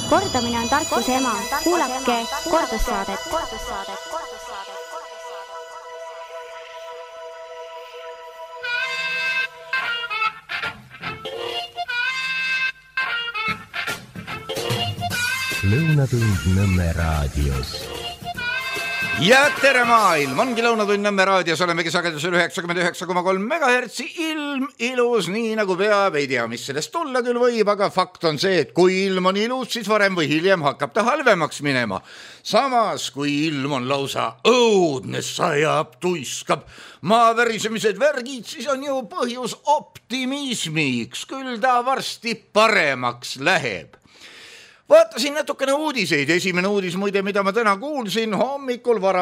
Kordamine on tarkuse ema. Kuulake kordussaadet. Lõunatund Nõmme raadios. Ja tere maailm, ongi Lõunatund Nõmme raadios, olemegi sagedusel 99,3 MHz, ilm ilus nii nagu peab, ei tea, mis sellest tulla küll võib, aga fakt on see, et kui ilm on ilus, siis varem või hiljem hakkab ta halvemaks minema. Samas, kui ilm on lausa õudne, sajab, tuiskab, maavärisemised värgid, siis on ju põhjus optimismiks, küll ta varsti paremaks läheb. Vaatasin natukene uudiseid. Esimene uudis muide, mida ma täna kuulsin hommikul vara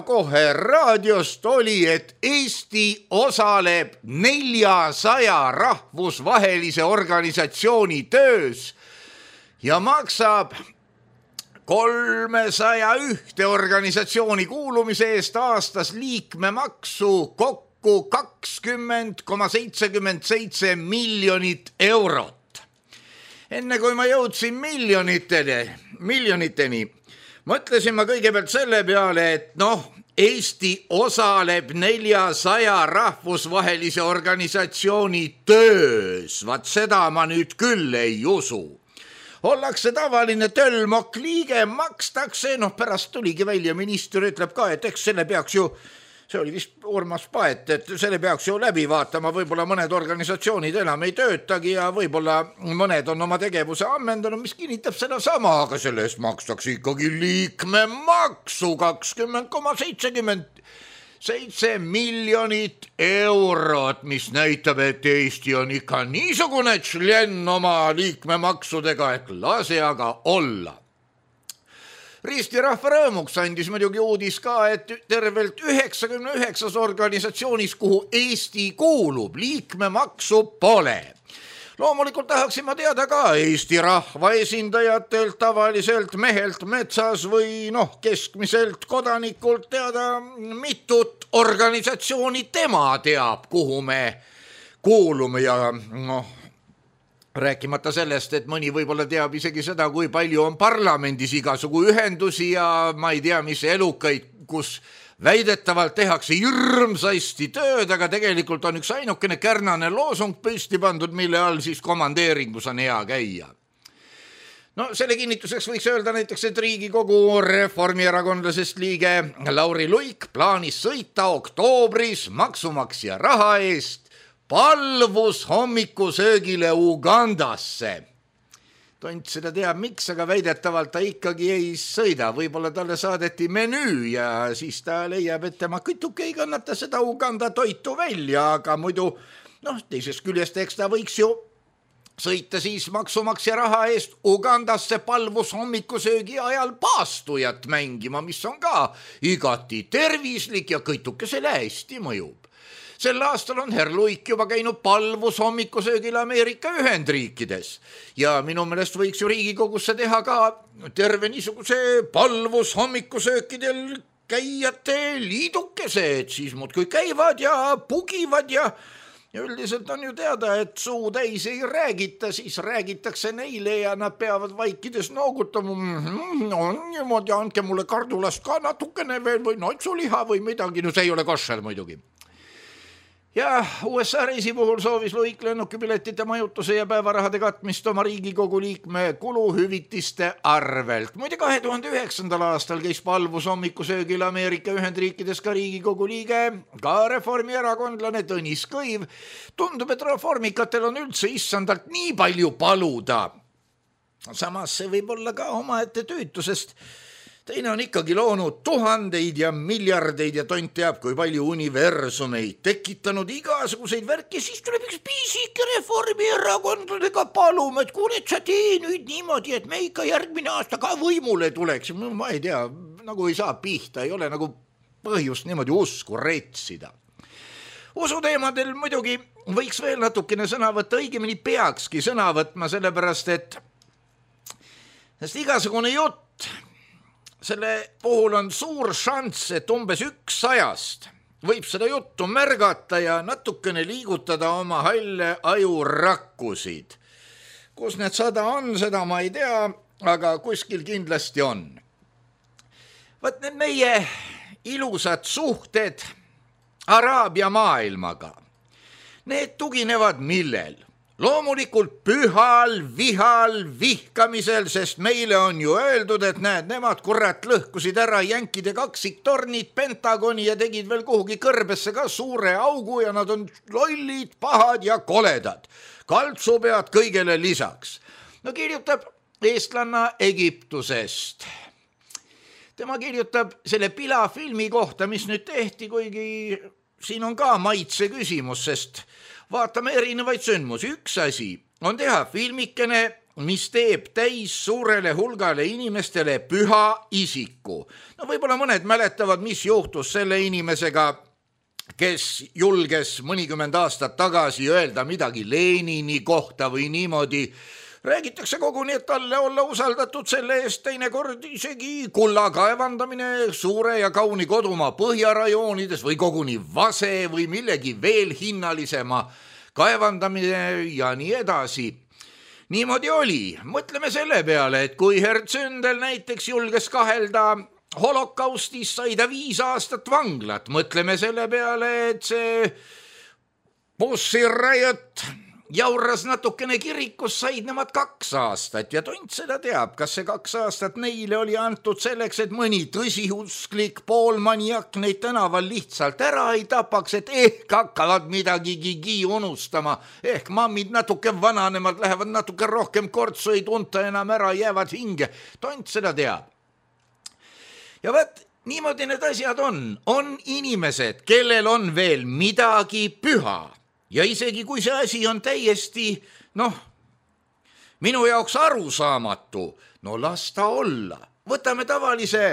kohe raadiost oli, et Eesti osaleb 400 rahvusvahelise organisatsiooni töös ja maksab 301 organisatsiooni kuulumise eest aastas liikmemaksu kokku 20,77 miljonit eurot. Enne kui ma jõudsin miljoniteni, mõtlesin ma kõigepealt selle peale, et Eesti osaleb 400 rahvusvahelise organisatsiooni töös. Vaat seda ma nüüd küll ei usu. Ollakse tavaline tölmok liige, makstakse, pärast tuligi välja, minister ütleb ka, et eks selle peaks ju, see oli vist Urmas Paet, et selle peaks ju läbi vaatama, võib-olla mõned organisatsioonid enam ei töötagi ja võib-olla mõned on oma tegevuse ammendanud, mis kinnitab seda sama, aga selle eest makstakse ikkagi liikmemaksu 20,77 miljonit eurot, mis näitab, et Eesti on ikka niisugune tšlen oma liikmemaksudega, et lase aga olla. Risti rahva rõõmuks andis muidugi uudis ka, et tervelt 99 organisatsioonis, kuhu Eesti kuulub, liikmemaksu pole. Loomulikult tahaksin ma teada ka Eesti rahva esindajatelt, tavaliselt mehelt metsas või keskmiselt kodanikult teada, mitut organisatsiooni tema teab, kuhu me kuulume ja rääkimata sellest, et mõni võib-olla teab isegi seda, kui palju on parlamendis igasugu ühendusi ja ma ei tea, mis elukaid, kus väidetavalt tehakse hirmsasti tööd, aga tegelikult on üks ainukene kärnane loosung püsti pandud, mille all siis komandeeringus on hea käia. Selle kinnituseks võiks öelda näiteks, et Riigikogu reformierakondlasest liige Lauri Luik plaanis sõita oktoobris maksumaksja raha eest palvus hommikusöögile Ugandasse. Tont seda teab miks, aga väidetavalt ta ikkagi ei sõida. Võib-olla talle saadeti menüü ja siis ta leiab, et tema kütuke ei kannata seda Uganda toitu välja, aga muidu, teisest küljest eks ta võiks ju sõita siis maksumaksja raha eest Ugandasse palvus hommikusöögi ajal paastujat mängima, mis on ka igati tervislik ja kütukesele hästi mõjub. Sel aastal on herr Luik juba käinud palvus hommikusöögil Ameerika Ühendriikides ja minu meelest võiks ju Riigikogusse teha ka terve niisuguse palvus hommikusöökidel käijate liidukese, et siis muudkui käivad ja pugivad ja üldiselt on ju teada, et suu täis ei räägita, siis räägitakse neile ja nad peavad vaikides noogutama. Niimoodi, andke mulle kardulast ka natukene veel või notsuliha või midagi, see ei ole koššer muidugi. Ja USA reisi puhul soovis Luik lennukipiletite majutuse ja päevarahade katmist oma Riigikogu liikme kuluhüvitiste arvelt. Muide 2009. aastal käis palvus hommikusöögil Ameerika Ühendriikides ka Riigikogu liige, ka reformierakondlane Tõnis Kõiv. Tundub, et reformikatel on üldse issandalt nii palju paluda. Samas see võib olla ka omaette tüütusest. Teine on ikkagi loonud tuhandeid ja miljardeid ja tont teab, kui palju universumeid, tekitanud igasuguseid värki, siis tuleb üks pisike reformierakondadega palume, et kuule, et sa tee nüüd niimoodi, et me ikka järgmine aasta ka võimule tuleks. Ma ei tea, nagu ei saa pihta, ei ole nagu põhjust niimoodi usku retsida. Usuteemadel muidugi võiks veel natukene sõna võtta, õigemini peakski sõna võtma, sellepärast et igasugune jutt, selle puhul on suur šanss, et umbes 100 võib seda juttu märgata ja natukene liigutada oma halle ajurakkusid. kus need 100 on, seda ma ei tea, aga kuskil kindlasti on. Võt need meie ilusad suhted Araabia maailmaga, need tuginevad millel? Loomulikult pühal, vihal, vihkamisel, sest meile on ju öeldud, et näed, nemad kurat lõhkusid ära jänkide kaksiktornid, Pentagoni ja tegid veel kuhugi kõrbesse ka suure augu ja nad on lollid, pahad ja koledad. Kaltsupead kõigele lisaks. No kirjutab eestlanna Egiptusest. Tema kirjutab selle pilafilmi kohta, mis nüüd tehti, kuigi siin on ka maitse küsimus, sest vaatame erinevaid sündmusi. Üks asi on teha filmikene, mis teeb täis suurele hulgale inimestele püha isiku. No võib-olla mõned mäletavad, mis juhtus selle inimesega, kes julges mõnikümmend aastat tagasi öelda midagi Lenini kohta või niimoodi. Räägitakse koguni, et talle olla usaldatud selle eest teinekord isegi kulla kaevandamine suure ja kauni kodumaa põhjarajoonides või koguni vase või millegi veel hinnalisema kaevandamine ja nii edasi. Niimoodi oli. Mõtleme selle peale, et kui Hertsündel näiteks julges kahelda holokaustis, sai ta 5 aastat vanglat. Mõtleme selle peale, et see Pussy Riot jauras natukene kirikus, said nemad 2 aastat ja tont seda teab, kas see 2 aastat neile oli antud selleks, et mõni tõsiusklik poolmaniak neid tänaval lihtsalt ära ei tapaks, et ehk hakkavad midagigi unustama, ehk mammid natuke vananemad, lähevad natuke rohkem kortsu, ei tunta enam ära, jäävad hinge, tont seda teab. Ja võt, niimoodi need asjad on inimesed, kellel on veel midagi püha. Ja isegi kui see asi on täiesti, minu jaoks arusaamatu, las ta olla. Võtame tavalise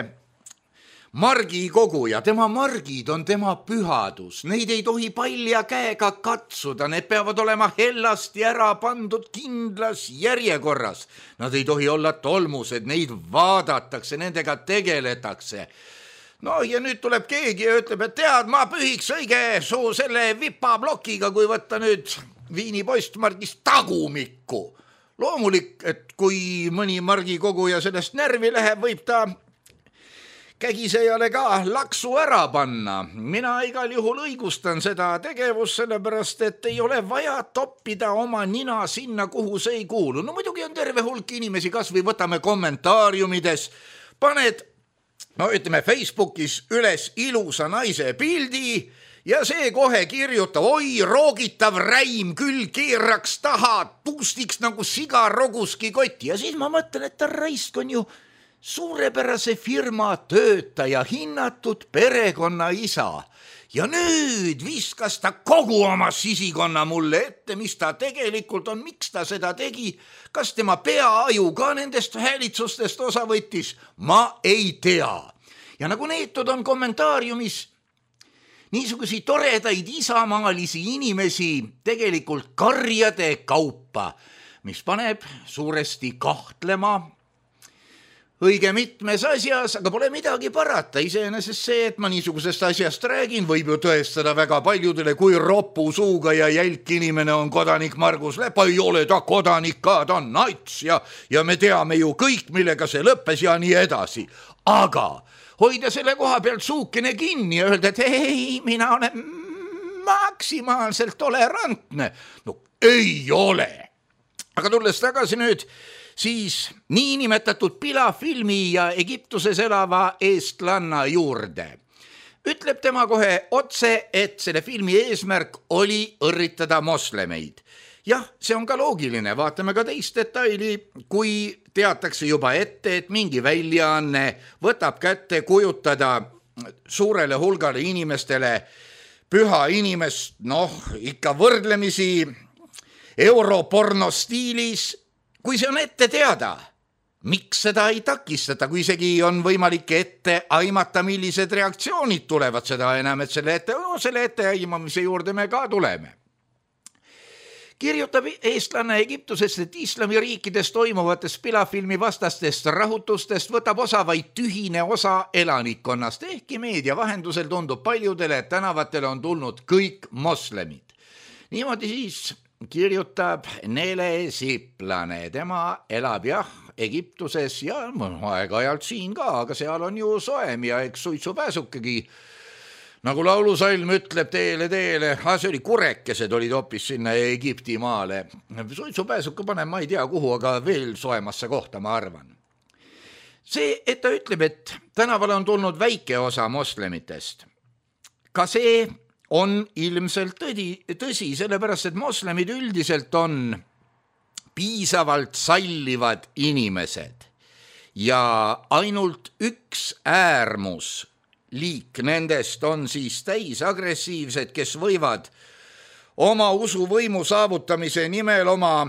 margikoguja, tema margid on tema pühadus, neid ei tohi palja käega katsuda, need peavad olema hellasti ära pandud kindlas järjekorras. Nad ei tohi olla tolmused, neid vaadatakse, nendega tegeletakse. Ja nüüd tuleb keegi ja ütleb, et tead, ma pühiks õige suu selle vipaplokiga, kui võtta nüüd Viini postmargist tagumikku. Loomulik, et kui mõni margikoguja sellest närvi läheb, võib ta kägisejale ka laksu ära panna. Mina igal juhul õigustan seda tegevust, sellepärast, et ei ole vaja toppida oma nina sinna, kuhu see ei kuulu. Muidugi on terve hulk inimesi, kas või võtame kommentaariumides, paned ütleme Facebookis üles ilusa naise pildi ja see kohe kirjutab, oi, roogitav räim küll keeraks taha, puustiks nagu siga roguski kotti. Ja siis ma mõtlen, et ta raisk on ju suurepärase firma töötaja, hinnatud perekonna isa. Ja nüüd viskas ta kogu oma sisikonna mulle ette, mis ta tegelikult on, miks ta seda tegi, kas tema peaaju ka nendest häälitsustest osa võttis, ma ei tea. Ja nagu neetud on kommentaariumis niisugusi toredaid isamaalisi inimesi tegelikult karjade kaupa, mis paneb suuresti kahtlema õige mitmes asjas, aga pole midagi parata. Iseenesest see, et ma niisugusest asjast räägin, võib ju tõestada väga paljudele, kui ropu suuga ja jälk inimene on kodanik Margus Lepa. Ei ole ta kodanik ka, ta on nats ja me teame ju kõik, millega see lõppes ja nii edasi. Aga hoida selle koha pealt suukene kinni ja öelda, et ei, mina olen maksimaalselt tolerantne. Ei ole. Aga tulles tagasi nüüd siis niinimetatud pilafilmi ja Egiptuses elava eestlanna juurde. Ütleb tema kohe otse, et selle filmi eesmärk oli õrritada moslemeid. Jah, see on ka loogiline, vaatame ka teist detaili, kui teatakse juba ette, et mingi väljaanne võtab kätte kujutada suurele hulgale inimestele püha inimest, ikka võrdlemisi europorno stiilis. Kui see on ette teada, miks seda ei takistata, kui isegi on võimalik ette aimata, millised reaktsioonid tulevad, seda enam, et selle ette aimamise juurde me ka tuleme. Kirjutab eestlanne Egiptusest, et islamiriikides toimuvatest pilafilmi vastastest rahutustest võtab osa vaid tühine osa elanikkonnast, ehkki meedia vahendusel tundub paljudele, et tänavatele on tulnud kõik moslemid. Niimoodi siis kirjutab Nele Siplane, tema elab jah Egiptuses ja aeg-ajalt siin ka, aga seal on ju soem ja eks suitsupääsukegi, nagu laulusalm ütleb, teele, see oli kurekesed olid hoopis sinna Egipti maale. Suitsupääsuke panen ma ei tea kuhu, aga veel soemasse kohta, ma arvan. See, et ta ütleb, et tänavale on tulnud väike osa moslemitest, ka see on ilmselt tõsi, sellepärast, et moslemid üldiselt on piisavalt sallivad inimesed ja ainult üks äärmus liik nendest on siis täisagressiivsed, kes võivad oma usuvõimu saavutamise nimel oma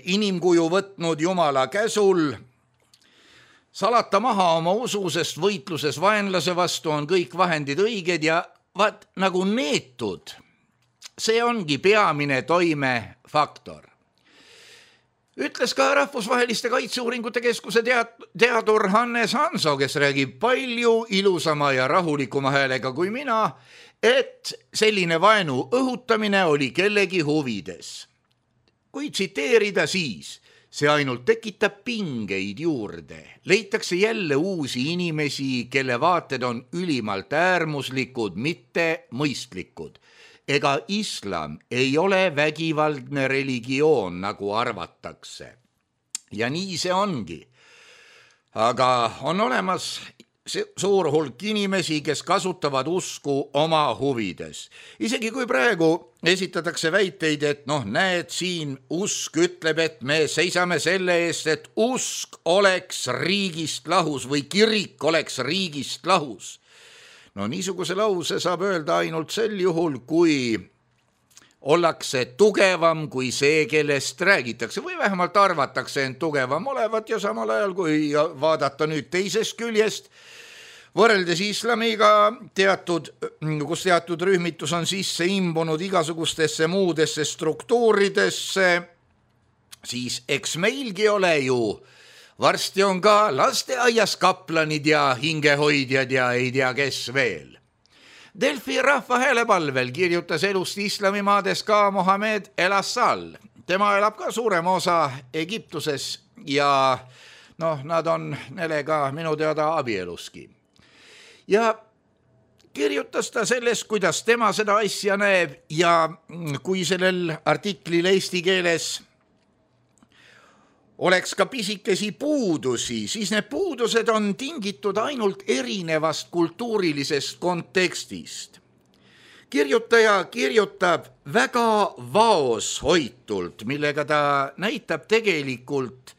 inimkuju võtnud Jumala käsul salata maha oma usu, sest võitluses vaenlase vastu on kõik vahendid õiged ja vaat nagu neetud, see ongi peamine toimefaktor. Ütles ka Rahvusvaheliste Kaitseuuringute Keskuse teadur Hannes Hanso, kes räägib palju ilusama ja rahulikuma häälega kui mina, et selline vaenu õhutamine oli kellegi huvides. Kui tsiteerida siis, see ainult tekitab pingeid juurde. Leitakse jälle uusi inimesi, kelle vaated on ülimalt äärmuslikud, mitte mõistlikud. Ega islam ei ole vägivaldne religioon, nagu arvatakse. Ja nii see ongi. Aga on olemas suur hulk inimesi, kes kasutavad usku oma huvides. Isegi kui praegu esitatakse väiteid, et näed siin usk ütleb, et me seisame selle eest, et usk oleks riigist lahus või kirik oleks riigist lahus. Niisuguse lause saab öelda ainult sel juhul, kui ollakse tugevam kui see, kellest räägitakse või vähemalt arvatakse end tugevam olevat ja samal ajal, kui vaadata nüüd teisest küljest, võrreldes islamiga kus teatud rühmitus on sisse imbunud igasugustesse muudesse struktuuridesse, siis eks meilgi ole ju varsti on ka lasteaias kaplanid ja hingehoidjad ja ei tea kes veel. Delfi rahvahäälepalvel kirjutas elust islamimaades ka Mohamed El-Assal. Tema elab ka suurema osa Egiptuses ja nad on nelega minu teada abieluski. Ja kirjutas ta sellest, kuidas tema seda asja näeb ja kui sellel artiklil eesti keeles oleks ka pisikesi puudusi, siis need puudused on tingitud ainult erinevast kultuurilisest kontekstist. Kirjutaja kirjutab väga vaoshoitult, millega ta näitab tegelikult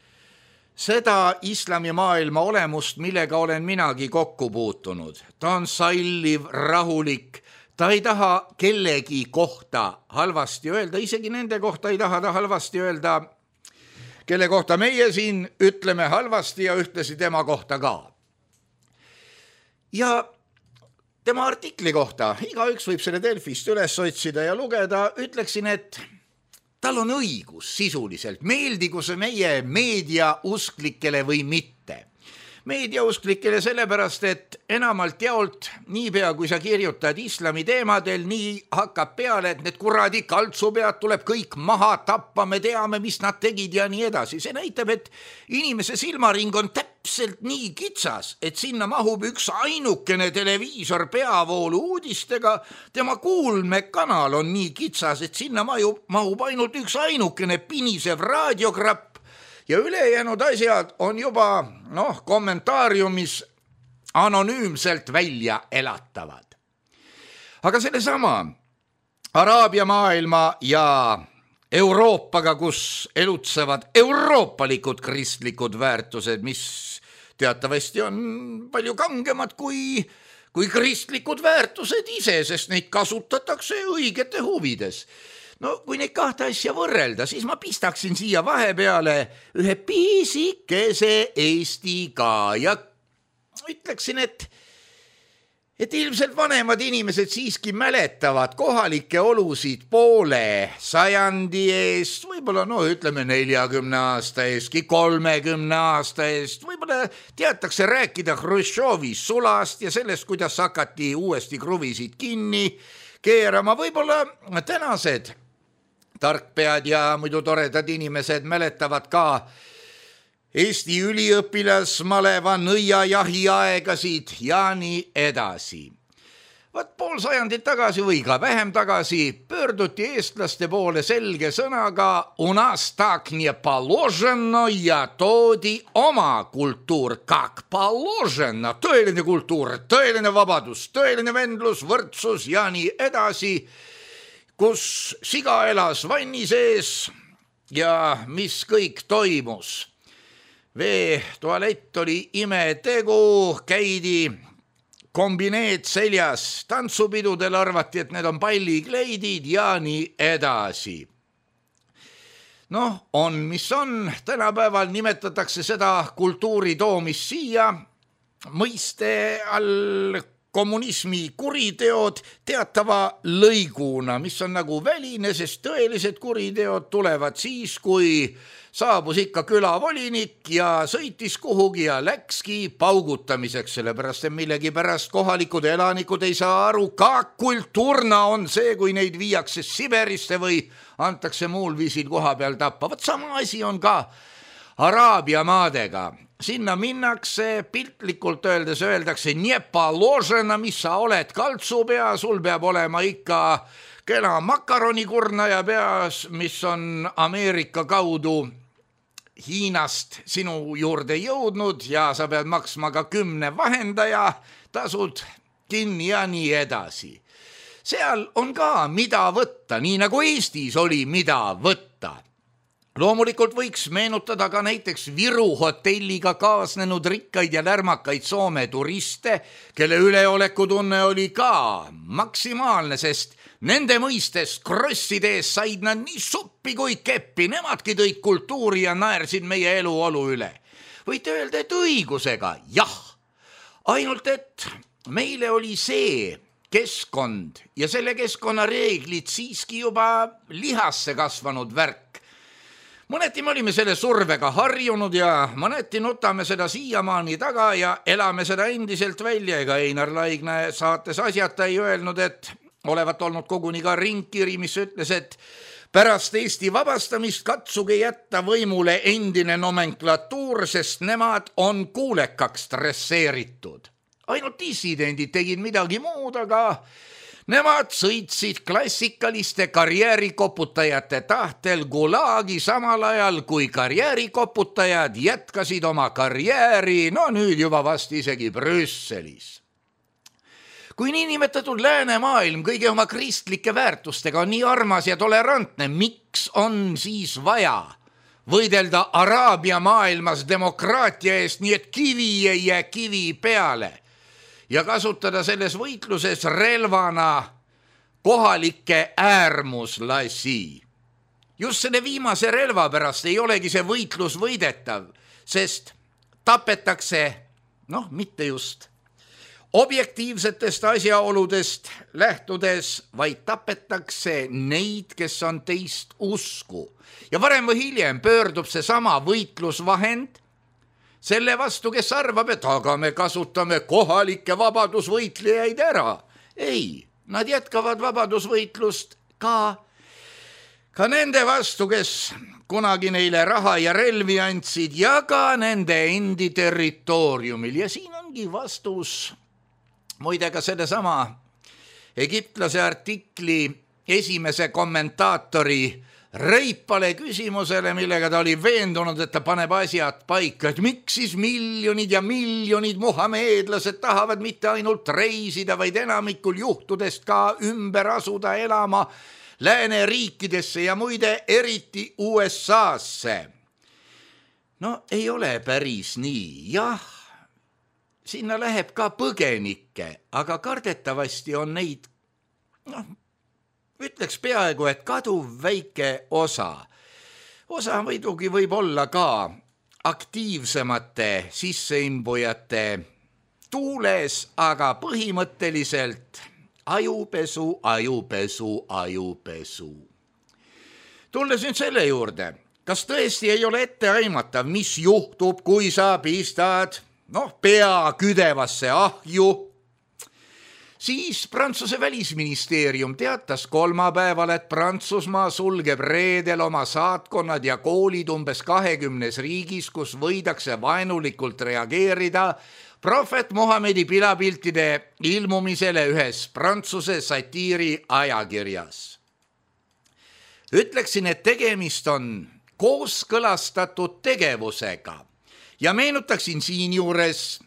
seda islamimaailma olemust, millega olen minagi kokku puutunud. Ta on salliv, rahulik, ta ei taha kellegi kohta halvasti öelda, isegi nende kohta ei taha ta halvasti öelda, kelle kohta meie siin ütleme halvasti ja ühtlasi tema kohta ka. Ja tema artikli kohta, igaüks võib selle Delfist üles otsida ja lugeda, ütleksin, et tal on õigus sisuliselt, meeldigu see meie meediausklikele või mitte. Meediausklikele sellepärast, et enamalt jaolt, niipea kui sa kirjutad islami teemadel, nii hakkab peale, et need kuradi kaltsupead tuleb kõik maha tappa, me teame, mis nad tegid ja nii edasi. See näitab, et inimese silmaring on täpselt nii kitsas, et sinna mahub üks ainukene televiisor peavoolu uudistega, tema kuulmekanal on nii kitsas, et sinna mahub ainult üks ainukene pinisev raadiokrapp, ja ülejäänud asjad on juba kommentaariumis anonüümselt välja elatavad. Aga sellesama Araabia maailma ja Euroopaga, kus elutsevad euroopalikud kristlikud väärtused, mis teatavasti on palju kangemad kui kristlikud väärtused ise, sest neid kasutatakse õigete huvides. Kui neid kahte asja võrrelda, siis ma pistaksin siia vahepeale ühe pisikese Eesti ka ja ütleksin, et ilmselt vanemad inimesed siiski mäletavad kohalikke olusid poole sajandi eest, võib-olla ütleme 40 aasta eestki, 30 aasta eest, võib-olla teatakse rääkida Hruštšovi sulast ja sellest, kuidas hakati uuesti kruvisid kinni keerama, võib-olla tänased tarkpead ja muidu toredad inimesed mäletavad ka Eesti üliõpilasmaleva nõiajahiaegasid ja nii edasi. Vaat pool sajandit tagasi või ka vähem tagasi pöörduti eestlaste poole selge sõnaga "U nas tak не положено" ja toodi oma kultuur "Как положено", tõeline kultuur, tõeline vabadus, tõeline vendlus, võrdsus ja nii edasi, kus siga elas vanni sees ja mis kõik toimus. Veetualett oli imetegu, käidi kombineed seljas, tantsupidudel arvati, et need on pallikleidid ja nii edasi. Noh, on mis on, tänapäeval nimetatakse seda kultuuri toomist siia, mõiste all kommunismi kuriteod teatava lõiguna, mis on nagu väline, sest tõelised kuriteod tulevad siis, kui saabus ikka külavolinik ja sõitis kuhugi ja läkski paugutamiseks, sellepärast et millegi pärast kohalikud elanikud ei saa aru, ka kultuurna on see, kui neid viiakse Siberisse või antakse muul viisil koha peal tappa. Võt sama asi on ka Araabia maadega. Sinna minnakse, piltlikult öeldakse "Не положено", mis sa oled, kaltsupea, sul peab olema ikka kena makaronikurnaja peas, mis on Ameerika kaudu Hiinast sinu juurde jõudnud ja sa pead maksma ka 10 vahendaja, tasud kinni ja nii edasi. Seal on ka mida võtta, nii nagu Eestis oli mida võtta. Loomulikult võiks meenutada ka näiteks Viru hotelliga kaasnenud rikkaid ja lärmakaid Soome turiste, kelle üleolekutunne oli ka maksimaalne, sest nende mõistes krosside ees said nad nii suppi kui keppi, nemadki tõid kultuuri ja naersid meie eluolu üle. Võite öelda, et õigusega, jah, ainult et meile oli see keskkond ja selle keskkonna reeglid siiski juba lihasse kasvanud värk. Mõneti me olime selle survega harjunud ja mõneti nutame seda siiamaani taga ja elame seda endiselt välja. Ega Einar Laigna saates asjata ei öelnud, et olevat olnud koguni ka ringkiri, mis ütles, et pärast Eesti vabastamist katsuge jätta võimule endine nomenklatuur, sest nemad on kuulekaks dresseeritud. Ainult dissidendid tegid midagi muud, aga nemad sõitsid klassikaliste karjäärikoputajate tahtel Gulagi samal ajal, kui karjäärikoputajad jätkasid oma karjääri, no nüüd juba vast isegi Brüsselis. Kui niinimetatud läänemaailm kõige oma kristlike väärtustega on nii armas ja tolerantne, miks on siis vaja võidelda Araabia maailmas demokraatia eest, nii et kivi ei jää kivi peale ja kasutada selles võitluses relvana kohalikke äärmuslasi. Just selle viimase relva pärast ei olegi see võitlus võidetav, sest tapetakse, mitte just objektiivsetest asjaoludest lähtudes, vaid tapetakse neid, kes on teist usku. Ja varem või hiljem pöördub see sama võitlusvahend selle vastu, kes arvab, et aga me kasutame kohalikke vabadusvõitlejaid ära. Ei, nad jätkavad vabadusvõitlust ka nende vastu, kes kunagi neile raha ja relvi andsid ja ka nende endi territooriumil. Ja siin ongi vastus muide ka sellesama egiptlase artikli esimese kommentaatori reipale küsimusele, millega ta oli veendunud, et ta paneb asjad paika, et miks siis miljonid ja miljonid muhameedlased tahavad mitte ainult reisida, vaid enamikul juhtudest ka ümber asuda elama lääneriikidesse ja muide eriti USA-sse. No ei ole päris nii, jah, sinna läheb ka põgenikke, aga kardetavasti on neid, ütleks peaaegu, et kaduv väike osa. Osa muidugi võib olla ka aktiivsemate sisseimbujate tuules, aga põhimõtteliselt ajupesu. Tulles nüüd selle juurde, kas tõesti ei ole ette aimatav, mis juhtub, kui sa pistad pea küdevasse ahju? Siis Prantsuse välisministeerium teatas kolmapäeval, et Prantsusmaa sulgeb reedel oma saatkonnad ja koolid umbes 20 riigis, kus võidakse vaenulikult reageerida prohvet Mohamedi pilapiltide ilmumisele ühes Prantsuse satiiri ajakirjas. Ütleksin, et tegemist on kooskõlastatud tegevusega ja meenutaksin siinjuures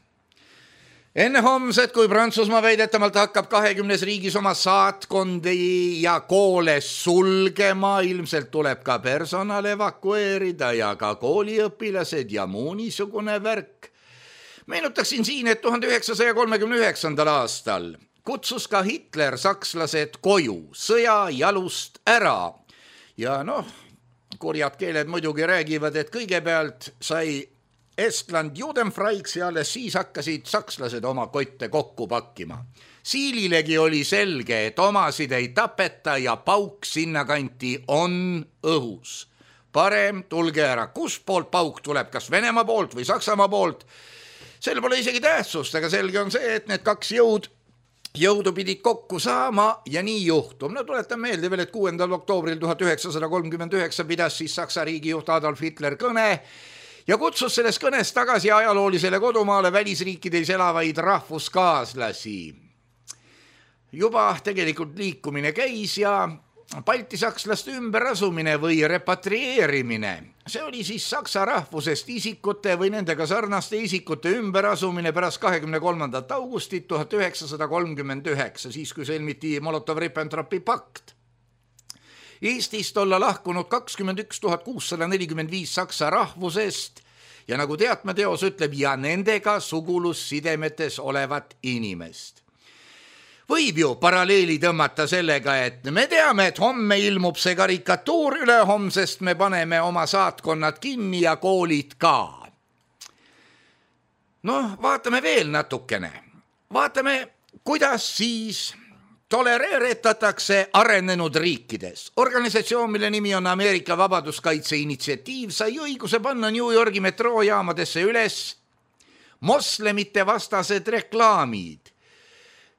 enne homset, kui Prantsusmaa väidetavalt hakkab 20 riigis oma saatkondi ja koole sulgema, ilmselt tuleb ka personal evakueerida ja ka kooliõpilased ja muu niisugune värk. Meenutaksin siin, et 1939. aastal kutsus ka Hitler sakslased koju sõja jalust ära ja kurjad keeled muidugi räägivad, et kõigepealt sai Estland Judenfreiks ja alles siis hakkasid sakslased oma kotte kokku pakkima. Siililegi oli selge, et omasid ei tapeta ja pauk sinnakanti on õhus. Parem tulge ära, kus poolt pauk tuleb, kas Venemaa poolt või Saksamaa poolt. Sel pole isegi tähtsust, aga selge on see, et need kaks jõudu pidid kokku saama ja nii juhtub. Tuletan meelde veel, et 6. oktoobril 1939 pidas siis Saksa riigijuht Adolf Hitler kõne ja kutsus selles kõnes tagasi ajaloolisele kodumaale välisriikides elavaid rahvuskaaslasi. Juba tegelikult liikumine käis ja baltisakslaste ümberasumine või repatrieerimine. See oli siis saksa rahvusest isikute või nendega sarnaste isikute ümberasumine pärast 23. augustit 1939, siis kui sõlmiti Molotov-Ribbentropi pakt. Eestist olla lahkunud 21 645 saksa rahvusest ja nagu teatmeteos ütleb, ja nendega sugulussidemetes olevat inimest. Võib ju paralleeli tõmmata sellega, et me teame, et homme ilmub see karikatuur, ülehomsest me paneme oma saatkonnad kinni ja koolid ka. Vaatame veel natukene. Vaatame, kuidas siis tolereeritatakse arenenud riikides. Organisatsioon, mille nimi on Ameerika Vabaduskaitse Initsiatiiv, sai õiguse panna New Yorgi metroojaamadesse üles moslemite vastased reklaamid.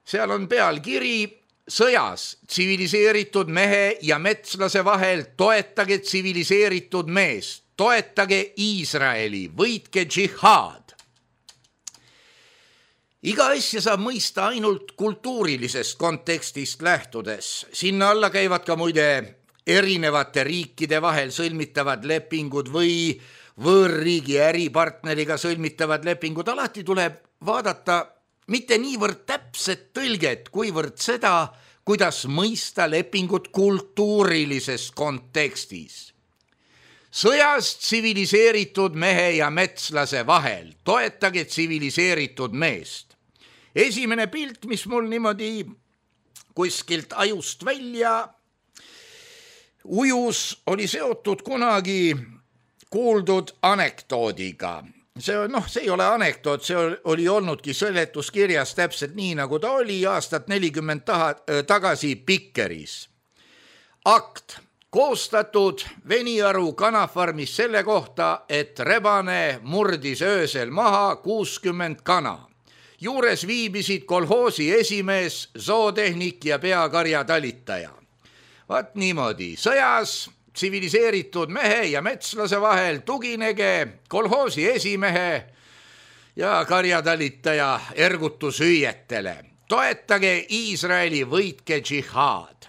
Seal on pealkiri sõjas tsiviliseeritud mehe ja metslase vahel, toetage tsiviliseeritud meest, toetage Iisraeli, võitke džihaad. Iga asja saab mõista ainult kultuurilisest kontekstist lähtudes. Sinna alla käivad ka muide erinevate riikide vahel sõlmitavad lepingud või võõrriigi äripartneriga sõlmitavad lepingud. Alati tuleb vaadata mitte niivõrd täpset tõlget, kuivõrd seda, kuidas mõista lepingut kultuurilises kontekstis. Sõjas tsiviliseeritud mehe ja metslase vahel, toetage tsiviliseeritud meest. Esimene pilt, mis mul niimoodi kuskilt ajust välja ujus, oli seotud kunagi kuuldud anekdoodiga. See ei ole anekdoot, see oli olnudki seletuskirjas täpselt nii, nagu ta oli aastat 40 tagasi Pikkeris. Akt koostatud Veniaru kanafarmis selle kohta, et rebane murdis öösel maha 60 kana. Juures viibisid kolhoosi esimees, zootehnik ja peakarjatalitaja. Vaat niimoodi, sõjas tsiviliseeritud mehe ja metslase vahel tuginege kolhoosi esimehe ja karjatalitaja ergutushüüetele. Toetage Iisraeli, võitke džihaad.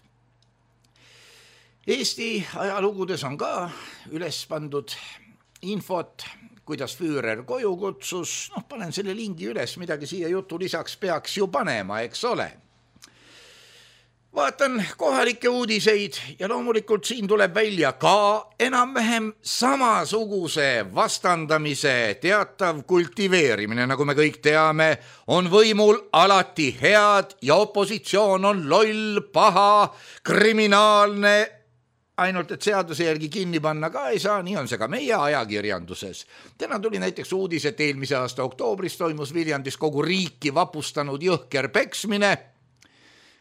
Eesti ajalugudes on ka üles pandud infot, kuidas Führer koju kutsus. Panen selle lingi üles, midagi siia jutu lisaks peaks ju panema, eks ole. Vaatan kohalikke uudiseid ja loomulikult siin tuleb välja ka enam-vähem samasuguse vastandamise teatav kultiveerimine, nagu me kõik teame, on võimul alati head ja opositsioon on loll, paha, kriminaalne, ainult et seaduse järgi kinni panna ka ei saa, nii on see ka meie ajakirjanduses. Täna tuli näiteks uudis, et eelmise aasta oktoobris toimus Viljandis kogu riiki vapustanud jõhker peksmine.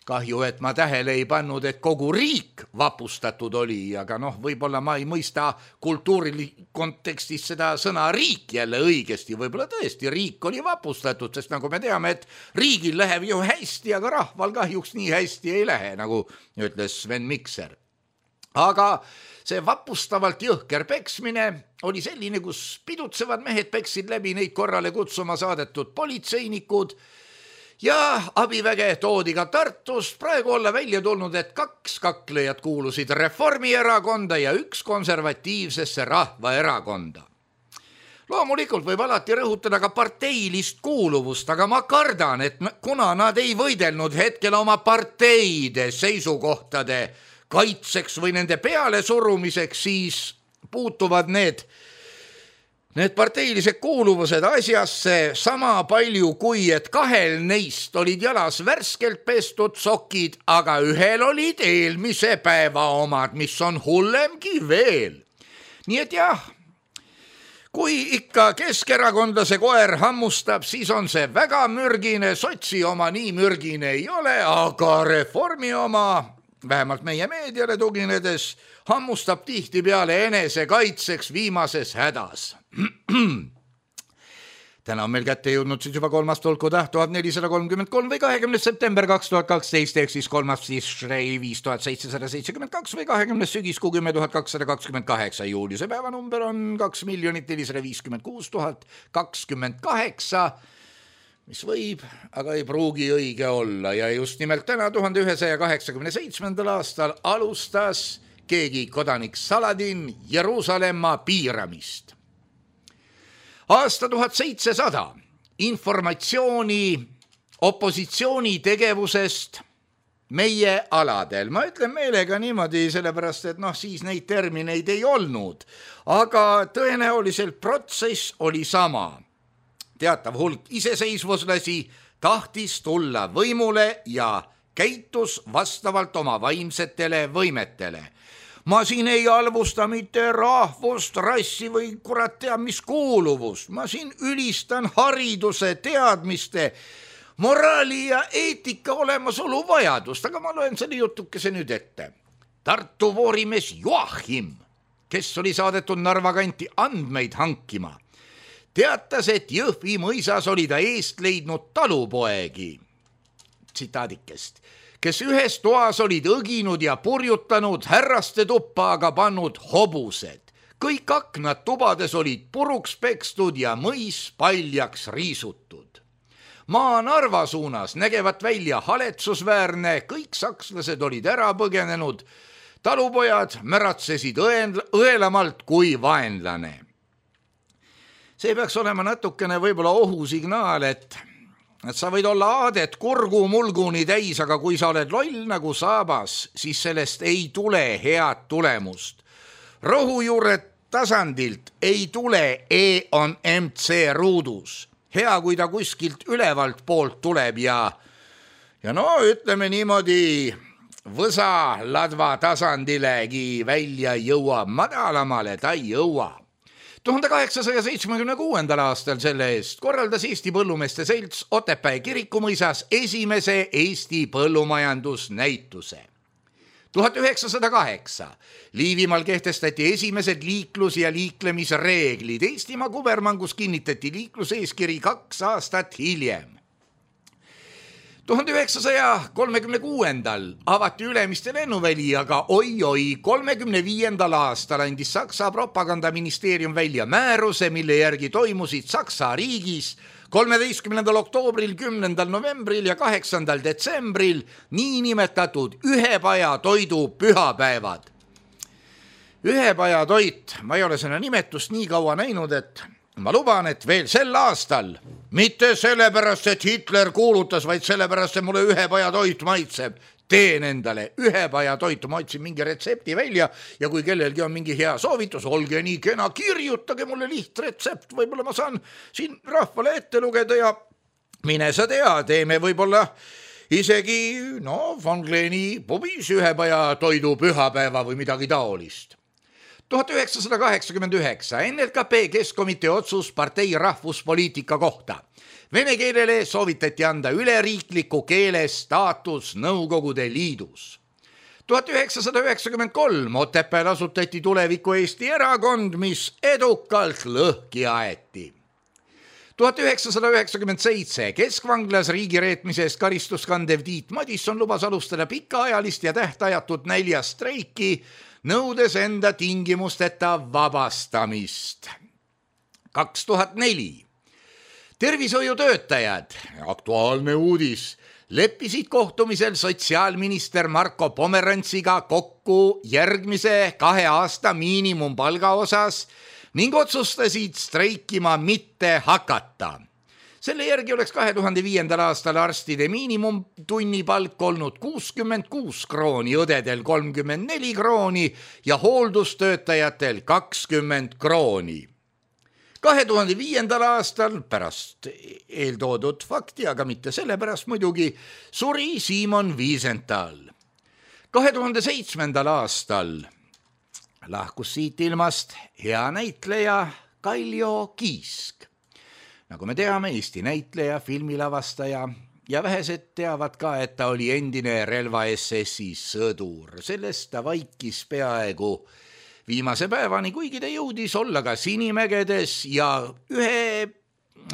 Kahju, et ma tähele ei pannud, et kogu riik vapustatud oli, aga võib-olla ma ei mõista kultuuri kontekstis seda sõna riik jälle õigesti, võib-olla tõesti riik oli vapustatud, sest nagu me teame, et riigil läheb ju hästi, aga rahval kahjuks nii hästi ei lähe, nagu ütles Sven Mikser. Aga see vapustavalt jõhker peksmine oli selline, kus pidutsevad mehed peksid läbi neid korrale kutsuma saadetud politseinikud ja abiväge toodi ka Tartust. Praegu olla välja tulnud, et 2 kaklejat kuulusid Reformierakonda ja 1 konservatiivsesse Rahvaerakonda. Loomulikult võib alati rõhutada ka parteilist kuuluvust, aga ma kardan, et kuna nad ei võidelnud hetkel oma parteide seisukohtade kaitseks või nende peale surumiseks, siis puutuvad need parteilised kuuluvused asjasse sama palju kui, et 2 neist olid jalas värskelt pestud sokid, aga 1 olid eelmise päeva omad, mis on hullemgi veel. Nii et jah, kui ikka keskerakondlase koer hammustab, siis on see väga mürgine, sotsi oma nii mürgine ei ole, aga Reformi oma, vähemalt meie meediale tuginedes, hammustab tihtipeale enese kaitseks viimases hädas. Täna on meil kätte jõudnud siis juba 3. tulkutäht 1433 või 20. september 2012 ehk siis 3. Shrei 5772 või 20. sügiskuu 10228 juuli. See päevanumber on 2 456 028, mis võib, aga ei pruugi õige olla. Ja just nimelt täna 1187. aastal alustas keegi kodanik Saladin Jeruusalemma piiramist. Aasta 1700 informatsiooni opositsiooni tegevusest meie aladel. Ma ütlen meelega niimoodi, sellepärast, et siis neid termineid ei olnud, aga tõenäoliselt protsess oli sama. Teatav hulk iseseisvuslasi tahtis tulla võimule ja käitus vastavalt oma vaimsetele võimetele. Ma siin ei alvusta mitte rahvust, rassi või kurat teab mis kuuluvust. Ma siin ülistan hariduse, teadmiste, moraali ja eetika olemasolu vajadust, aga ma loen selle jutukese nüüd ette. Tartu voorimees Joachim, kes oli saadetud Narva kanti andmeid hankima, teatas, et Jõhvi mõisas oli ta eest leidnud talupoegi, tsitaadikest, kes ühes toas olid õginud ja purjutanud, härraste tuppa aga pannud hobused. Kõik aknad tubades olid puruks pekstud ja mõis paljaks riisutud. Maa Narva suunas nägevat välja haletsusväärne, kõik sakslased olid ära põgenenud, talupojad märatsesid õelamalt kui vaenlane. See peaks olema natukene võib-olla ohusignaal, et sa võid olla aadet kurgu mulguni täis, aga kui sa oled loll nagu saabas, siis sellest ei tule head tulemust. Rohujuure tasandilt ei tule E on MC ruudus. Hea, kui ta kuskilt ülevalt poolt tuleb ja ütleme niimoodi, võsa ladva tasandilegi välja jõuab, madalamale ta ei jõua. 1876. aastal selle eest korraldas Eesti Põllumeeste Selts Otepää kirikumõisas esimese Eesti põllumajandusnäituse. 1908 Liivimaal kehtestati esimesed liiklus- ja liiklemisreeglid. Eestimaa kubermangus kinnitati liikluseeskiri 2 aastat hiljem. 1936. avati Ülemiste lennuväli, aga oi-oi, 35. aastal andis Saksa propagandaministeerium välja määruse, mille järgi toimusid Saksa riigis 13. oktoobril, 10. novembril ja 8. detsembril niinimetatud ühepajatoidu pühapäevad. Ühepajatoit, ma ei ole selle nimetust nii kaua näinud, et ma luban, et veel sel aastal, mitte sellepärast, et Hitler kuulutas, vaid sellepärast, et mulle ühepajatoit maitseb, teen endale ühepajatoitu, ma otsin mingi retsepti välja ja kui kellelgi on mingi hea soovitus, olge nii kena, kirjutage mulle lihtretsept, võib-olla ma saan siin rahvale ette lugeda ja mine sa tea, teeme võib-olla isegi Von Gleni pubis ühepajatoidu pühapäeva või midagi taolist. 1989 NLKP Keskkomitee otsus partei rahvuspoliitika kohta. Vene keelele soovitati anda üleriikliku keele staatus Nõukogude Liidus. 1993 Otepääl asutati Tuleviku Eesti erakond, mis edukalt lõhki aeti. 1997 Keskvanglas riigireetmise eest karistust kandev Tiit Madisson lubas alustada pikaajalist ja tähtajatut näljastreiki, nõudes enda tingimusteta vabastamist. 2004 tervishoiutöötajad, aktuaalne uudis, leppisid kohtumisel sotsiaalminister Marko Pomerantsiga kokku järgmise 2 aasta miinimumpalga osas ning otsustasid streikima mitte hakata. Selle järgi oleks 2005. aastal arstide miinimumtunnipalk olnud 66 krooni, õdedel 34 krooni ja hooldustöötajatel 20 krooni. 2005. aastal pärast eeltoodud fakti, aga mitte sellepärast muidugi, suri Simon Wiesenthal. 2007. aastal lahkus siit ilmast hea näitleja Kaljo Kiisk. Nagu me teame, Eesti näitleja, filmilavastaja ja vähesed teavad ka, et ta oli endine relva SS-i sõdur. Sellest ta vaikis peaaegu viimase päevani, kuigi ta jõudis olla ka Sinimägedes ja ühe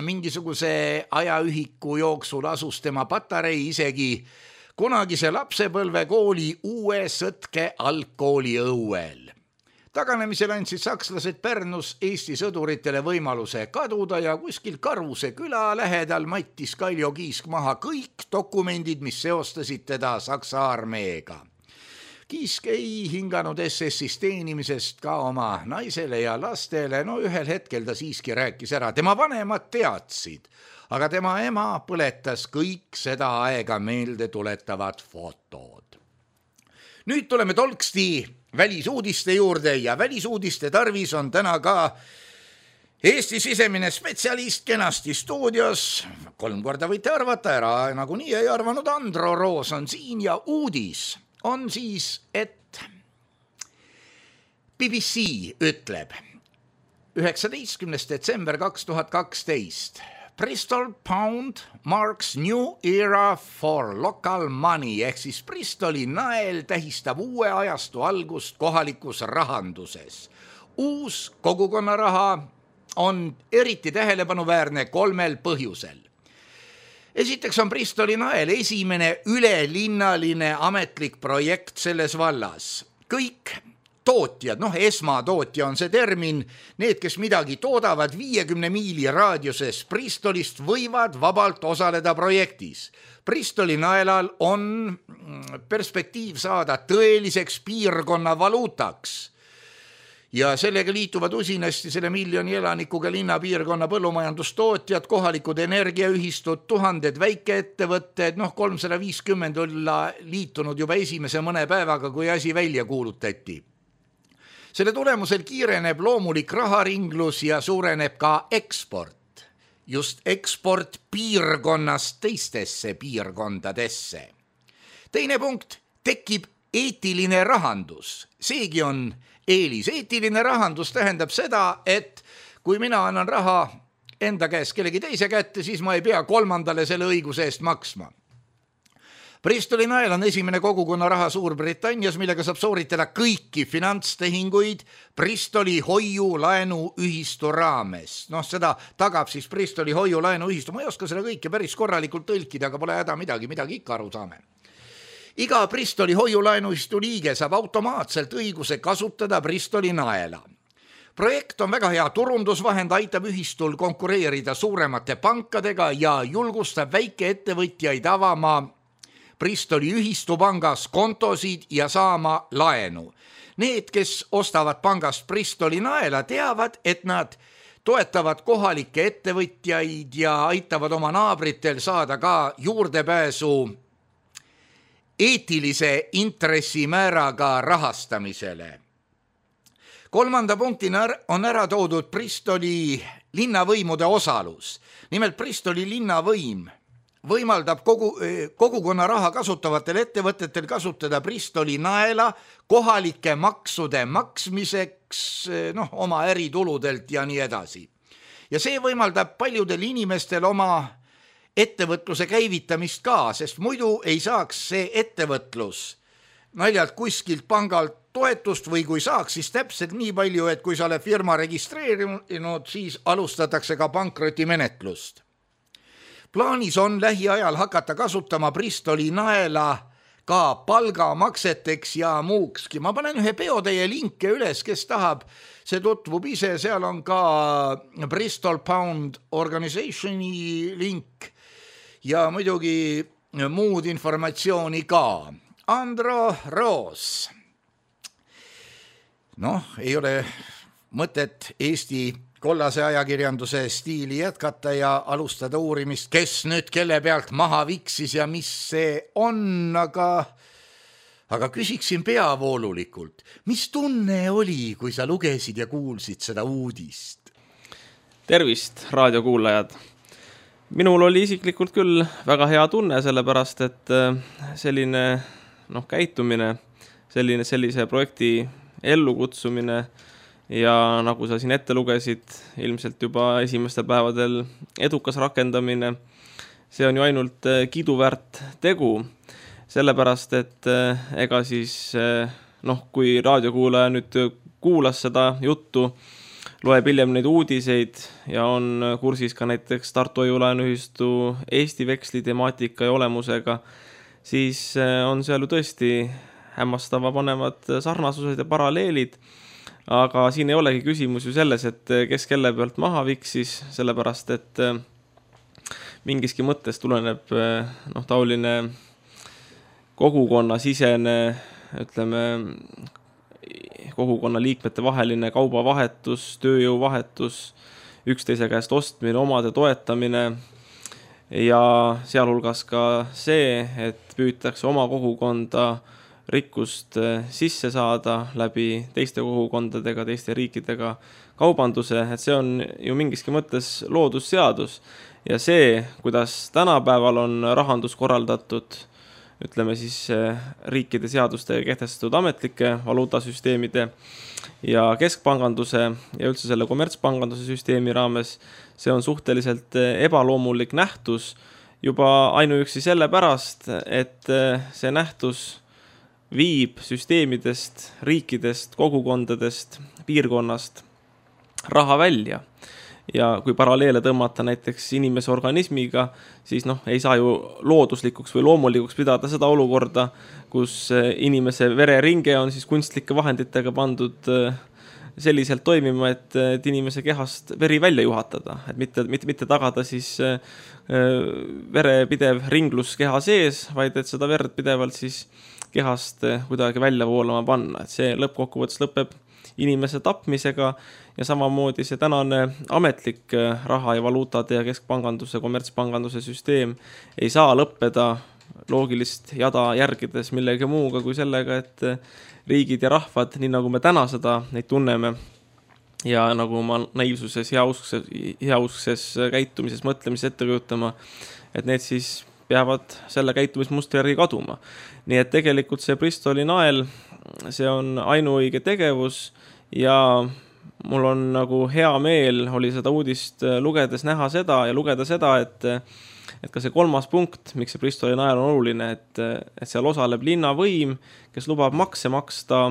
mingisuguse ajaühiku jooksul asus tema patarei isegi kunagise lapsepõlvekooli Uue Sõtke algkooli õuel. Taganemisel andsid sakslased Pärnus Eesti sõduritele võimaluse kaduda ja kuskil Karuse küla lähedal mattis Kaljo Kiisk maha kõik dokumendid, mis seostasid teda Saksa armeega. Kiisk ei hinganud SS-is teenimisest ka oma naisele ja lastele, ühel hetkel ta siiski rääkis ära. Tema vanemad teadsid, aga tema ema põletas kõik seda aega meelde tuletavad fotod. Nüüd tuleme tolksti välisuudiste juurde ja välisuudiste tarvis on täna ka Eesti sisemine spetsialist kenasti stuudios. 3 korda võite arvata, ära nagunii ei arvanud, Andro Roos on siin ja uudis on siis, et BBC ütleb 19. detsember 2012 Bristol Pound marks new era for local money ehk siis Bristoli nael tähistab uue ajastu algust kohalikus rahanduses. Uus kogukonnaraha on eriti tähelepanuväärne 3 põhjusel. Esiteks on Bristoli nael esimene ülelinnalise ametlik projekt selles vallas. Kõik tootjad, esmatootja on see termin, need, kes midagi toodavad 50 miili raadiuses Bristolist, võivad vabalt osaleda projektis. Bristoli naelal on perspektiiv saada tõeliseks piirkonna valuutaks. Ja sellega liituvad usinasti selle 1 miljoni elanikuga linnapiirkonna põllumajandustootjad, kohalikud energiaühistud, 1000 väikeettevõtted, 350 olla liitunud juba esimese mõne päevaga, kui asi välja kuulutati. Selle tulemusel kiireneb loomulik raharinglus ja suureneb ka eksport. Just eksport piirkonnast teistesse piirkondadesse. Teine punkt, tekib eetiline rahandus. Seegi on eelis. Eetiline rahandus tähendab seda, et kui mina annan raha enda käest kellegi teise kätte, siis ma ei pea 3. selle õiguse eest maksma. Bristoli nael on esimene kogukonnaraha Suurbritannias, millega saab sooritada kõiki finantstehinguid Bristoli hoiu-laenuühistu raames. Seda tagab siis Bristoli hoiu-laenuühistu. Ma ei oska seda kõike päris korralikult tõlkida, aga pole häda midagi ikka aru saame. Iga Bristoli hoiu-laenuühistu liige saab automaatselt õiguse kasutada Bristoli naela. Projekt on väga hea turundusvahend, aitab ühistul konkureerida suuremate pankadega ja julgustab väikeettevõtjaid avama Bristoli ühistupangas kontosid ja saama laenu. Need, kes ostavad pangast Bristoli naela, teavad, et nad toetavad kohalikke ettevõtjaid ja aitavad oma naabritel saada ka juurdepääsu eetilise intressimääraga rahastamisele. 3. punktina on ära toodud Bristoli linnavõimude osalus. Nimelt Bristoli linnavõim võimaldab kogukonna raha kasutavatel ettevõtetel kasutada Bristoli naela kohalike maksude maksmiseks, oma ärituludelt ja nii edasi. Ja see võimaldab paljudel inimestel oma ettevõtluse käivitamist ka, sest muidu ei saaks see ettevõtlus naljalt kuskilt pangalt toetust või kui saaks, siis täpselt nii palju, et kui sa oled firma registreerinud, siis alustatakse ka pankrotimenetlust. Plaanis on lähiajal hakata kasutama Bristoli naela ka palgamakseteks ja muukski. Ma panen ühe peotäie linke üles, kes tahab, see tutvub ise, seal on ka Bristol Pound Organisationi link ja muidugi muud informatsiooni ka. Andro Roos. Ei ole mõtet Eesti kollase ajakirjanduse stiili jätkata ja alustada uurimist, kes nüüd kelle pealt maha viksis ja mis see on, aga küsiksin peavoolulikult. Mis tunne oli, kui sa lugesid ja kuulsid seda uudist? Tervist, raadiokuulajad! Minul oli isiklikult küll väga hea tunne, sellepärast, et selline käitumine, sellise projekti ellukutsumine ja nagu sa siin ette lugesid, ilmselt juba esimestel päevadel edukas rakendamine, see on ju ainult kiiduväärt tegu, sellepärast, et ega siis, kui raadiokuulaja nüüd kuulas seda juttu, loeb hiljem neid uudiseid ja on kursis ka näiteks Tartu Hoiu-laenuühistu Eesti veksli temaatika ja olemusega, siis on seal ju tõesti hämmastava panevad sarnasused ja paralleelid, aga siin ei olegi küsimus ju selles, et kes kelle pealt maha viksis, sellepärast, et mingiski mõttes tuleneb taoline kogukonnasisene, kogukonna liikmete vaheline kaubavahetus, tööjõuvahetus, üksteise käest ostmine, omade toetamine ja sealhulgas ka see, et püütakse oma kogukonda rikkust sisse saada läbi teiste kogukondadega, teiste riikidega kaubanduse, et see on ju mingiski mõttes loodusseadus ja see, kuidas tänapäeval on rahandus korraldatud, riikide seadustega kehtestatud ametlike valuutasüsteemide ja keskpanganduse ja üldse selle kommertspanganduse süsteemi raames, see on suhteliselt ebaloomulik nähtus juba ainuüksi sellepärast, et see nähtus viib süsteemidest, riikidest, kogukondadest, piirkonnast raha välja. Ja kui paralleele tõmmata näiteks inimese organismiga, siis ei saa ju looduslikuks või loomulikuks pidada seda olukorda, kus inimese vereringe on siis kunstlike vahenditega pandud selliselt toimima, et inimese kehast veri välja juhatada, et mitte tagada siis vere pidev ringlus keha sees, vaid et seda verd pidevalt siis kehast kuidagi välja voolama panna, et see lõppkokkuvõttes lõpeb inimese tapmisega ja samamoodi see tänane ametlik raha ja valuutade ja keskpanganduse, kommertspanganduse süsteem ei saa lõppeda loogilist jada järgides millegi muuga kui sellega, et riigid ja rahvad, nii nagu me täna seda neid tunneme ja nagu ma naiivsuses, heauskses käitumises, mõtlemises ette kujutama, et need siis peavad selle käitumismustri järgi kaduma. Nii et tegelikult see Bristoli nael, see on ainuõige tegevus ja mul on nagu hea meel oli seda uudist lugedes näha seda ja lugeda seda, et ka see kolmas punkt, miks see Bristoli nael on oluline, et seal osaleb linnavõim, kes lubab makse maksta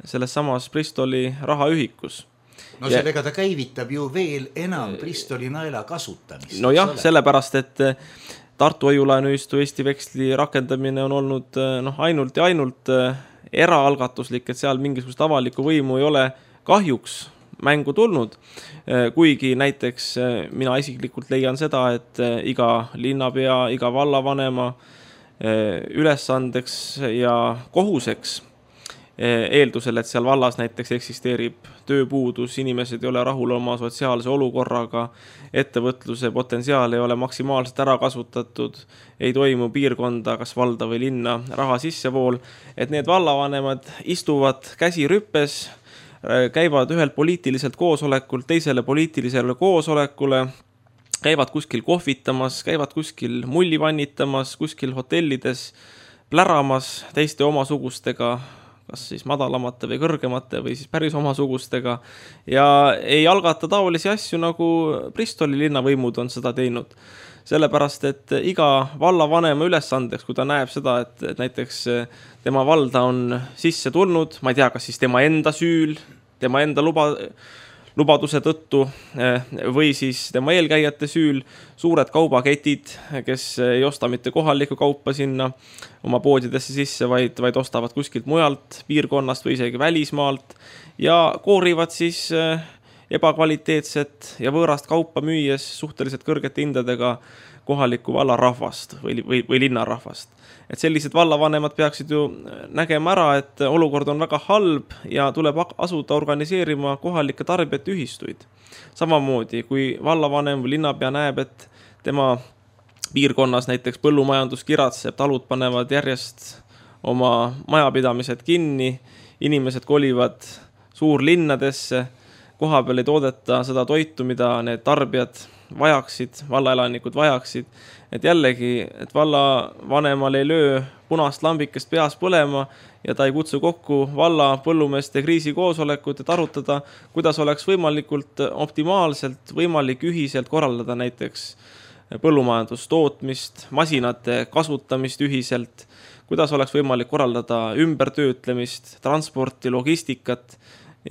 selles samas Bristoli rahaühikus. No sellega ta käivitab ju veel enam Bristoli naela kasutamist. No jah, sellepärast, et Tartu Hoiu-laenuühistu Eesti veksli rakendamine on olnud ainult ja ainult eraalgatuslik, et seal mingisugust avalikku võimu ei ole kahjuks mängu tulnud, kuigi näiteks mina isiklikult leian seda, et iga linnapea, iga vallavanema ülesandeks ja kohuseks eeldusel, et seal vallas näiteks eksisteerib tööpuudus, inimesed ei ole rahul oma sotsiaalse olukorraga, ettevõtluse potentsiaal ei ole maksimaalselt ära kasutatud, ei toimu piirkonda, kas valda või linna raha sissevool, et need vallavanemad istuvad käsi rüppes, käivad ühelt poliitiliselt koosolekult teisele poliitilisele koosolekule, käivad kuskil kohvitamas, käivad kuskil mulli vannitamas, kuskil hotellides pläramas teiste omasugustega, kas siis madalamate või kõrgemate või siis päris omasugustega ja ei algata taolisi asju, nagu Bristoli linnavõimud on seda teinud. Sellepärast, et iga vallavanema ülesandeks, kui ta näeb seda, et näiteks tema valda on sisse tulnud, ma ei tea, kas siis tema enda süül, tema enda lubaduse tõttu või siis tema eelkäijate süül, suured kaubaketid, kes ei osta mitte kohalikku kaupa sinna oma poodidesse sisse, vaid ostavad kuskilt mujalt piirkonnast või isegi välismaalt ja koorivad siis ebakvaliteetset ja võõrast kaupa müües suhteliselt kõrgete hindadega kohalikku vallarahvast või linnarahvast. Et sellised vallavanemad peaksid ju nägema ära, et olukord on väga halb ja tuleb asuda organiseerima kohalikke tarbijate ühistuid. Samamoodi, kui vallavanem või linnapea näeb, et tema piirkonnas näiteks põllumajandus kiratseb, talud panevad järjest oma majapidamised kinni, inimesed kolivad suurlinnadesse, koha peal ei toodeta seda toitu, mida need tarbijad vajaksid, vallaelanikud vajaksid, et jällegi, et vallavanemal ei löö punast lambikest peas põlema ja ta ei kutsu kokku valla põllumeeste kriisikoosolekut, et arutada, kuidas oleks võimalikult optimaalselt võimalik ühiselt korraldada näiteks põllumajandustootmist, masinate kasutamist ühiselt, kuidas oleks võimalik korraldada ümbertöötlemist, transporti, logistikat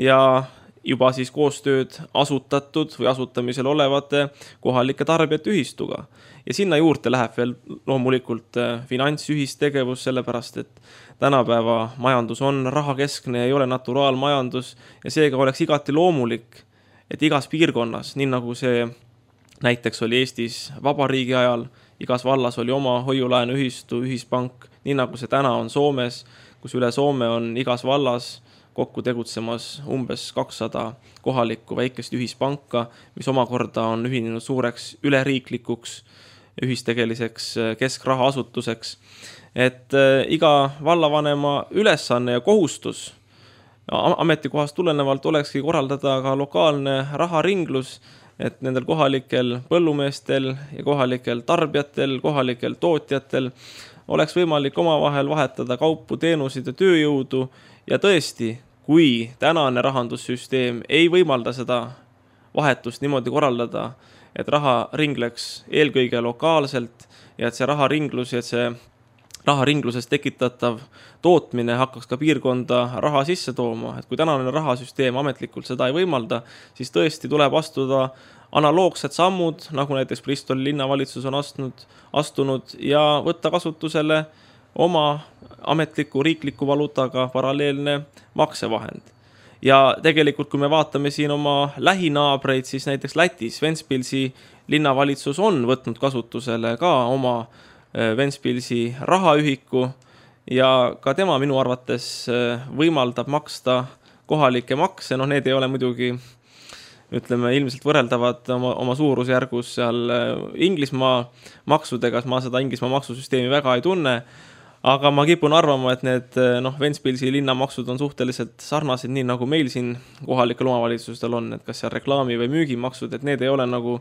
ja juba siis koostööd asutatud või asutamisel olevate kohalike tarbijate ühistuga. Ja sinna juurde läheb veel loomulikult finantsühistegevus, sellepärast et tänapäeva majandus on rahakeskne ja ei ole naturaalmajandus ja seega oleks igati loomulik, et igas piirkonnas, nii nagu see näiteks oli Eestis vabariigi ajal, igas vallas oli oma hoiulaenu ühistu, ühispank, nii nagu see täna on Soomes, kus üle Soome on igas vallas kokku tegutsemas umbes 200 kohalikku väikest ühispanka, mis omakorda on ühinenud suureks üleriiklikuks ühistegeliseks keskrahaasutuseks. Et iga vallavanema ülesanne ja kohustus ametikohast tulenevalt olekski korraldada ka lokaalne raharinglus, et nendel kohalikel põllumeestel ja kohalikel tarbijatel, kohalikel tootjatel oleks võimalik omavahel vahetada kaupu, teenusid ja tööjõudu ja tõesti, kui tänane rahandussüsteem ei võimalda seda vahetust niimoodi korraldada, et raha ringleks eelkõige lokaalselt ja et see raharinglus ja et see raharingluses tekitatav tootmine hakkaks ka piirkonda raha sisse tooma. Et kui tänane rahasüsteem ametlikult seda ei võimalda, siis tõesti tuleb astuda analoogsed sammud, nagu näiteks Bristoli linnavalitsus on astunud ja võtta kasutusele oma ametliku riikliku valuutaga paralleelne maksevahend. Ja tegelikult, kui me vaatame siin oma lähinaabreid, siis näiteks Lätis Ventspilsi linnavalitsus on võtnud kasutusele ka oma Ventspilsi rahaühiku ja ka tema minu arvates võimaldab maksta kohalikke makse. Need ei ole muidugi, ütleme, ilmselt võrreldavad oma suurusjärgus seal Inglismaa maksudega, ma seda Inglismaa maksusüsteemi väga ei tunne, aga ma kipun arvama, et need Ventspilsi linnamaksud on suhteliselt sarnased, nii nagu meil siin kohalikel omavalitsustel on, et kas seal reklaami või müügimaksud, et need ei ole nagu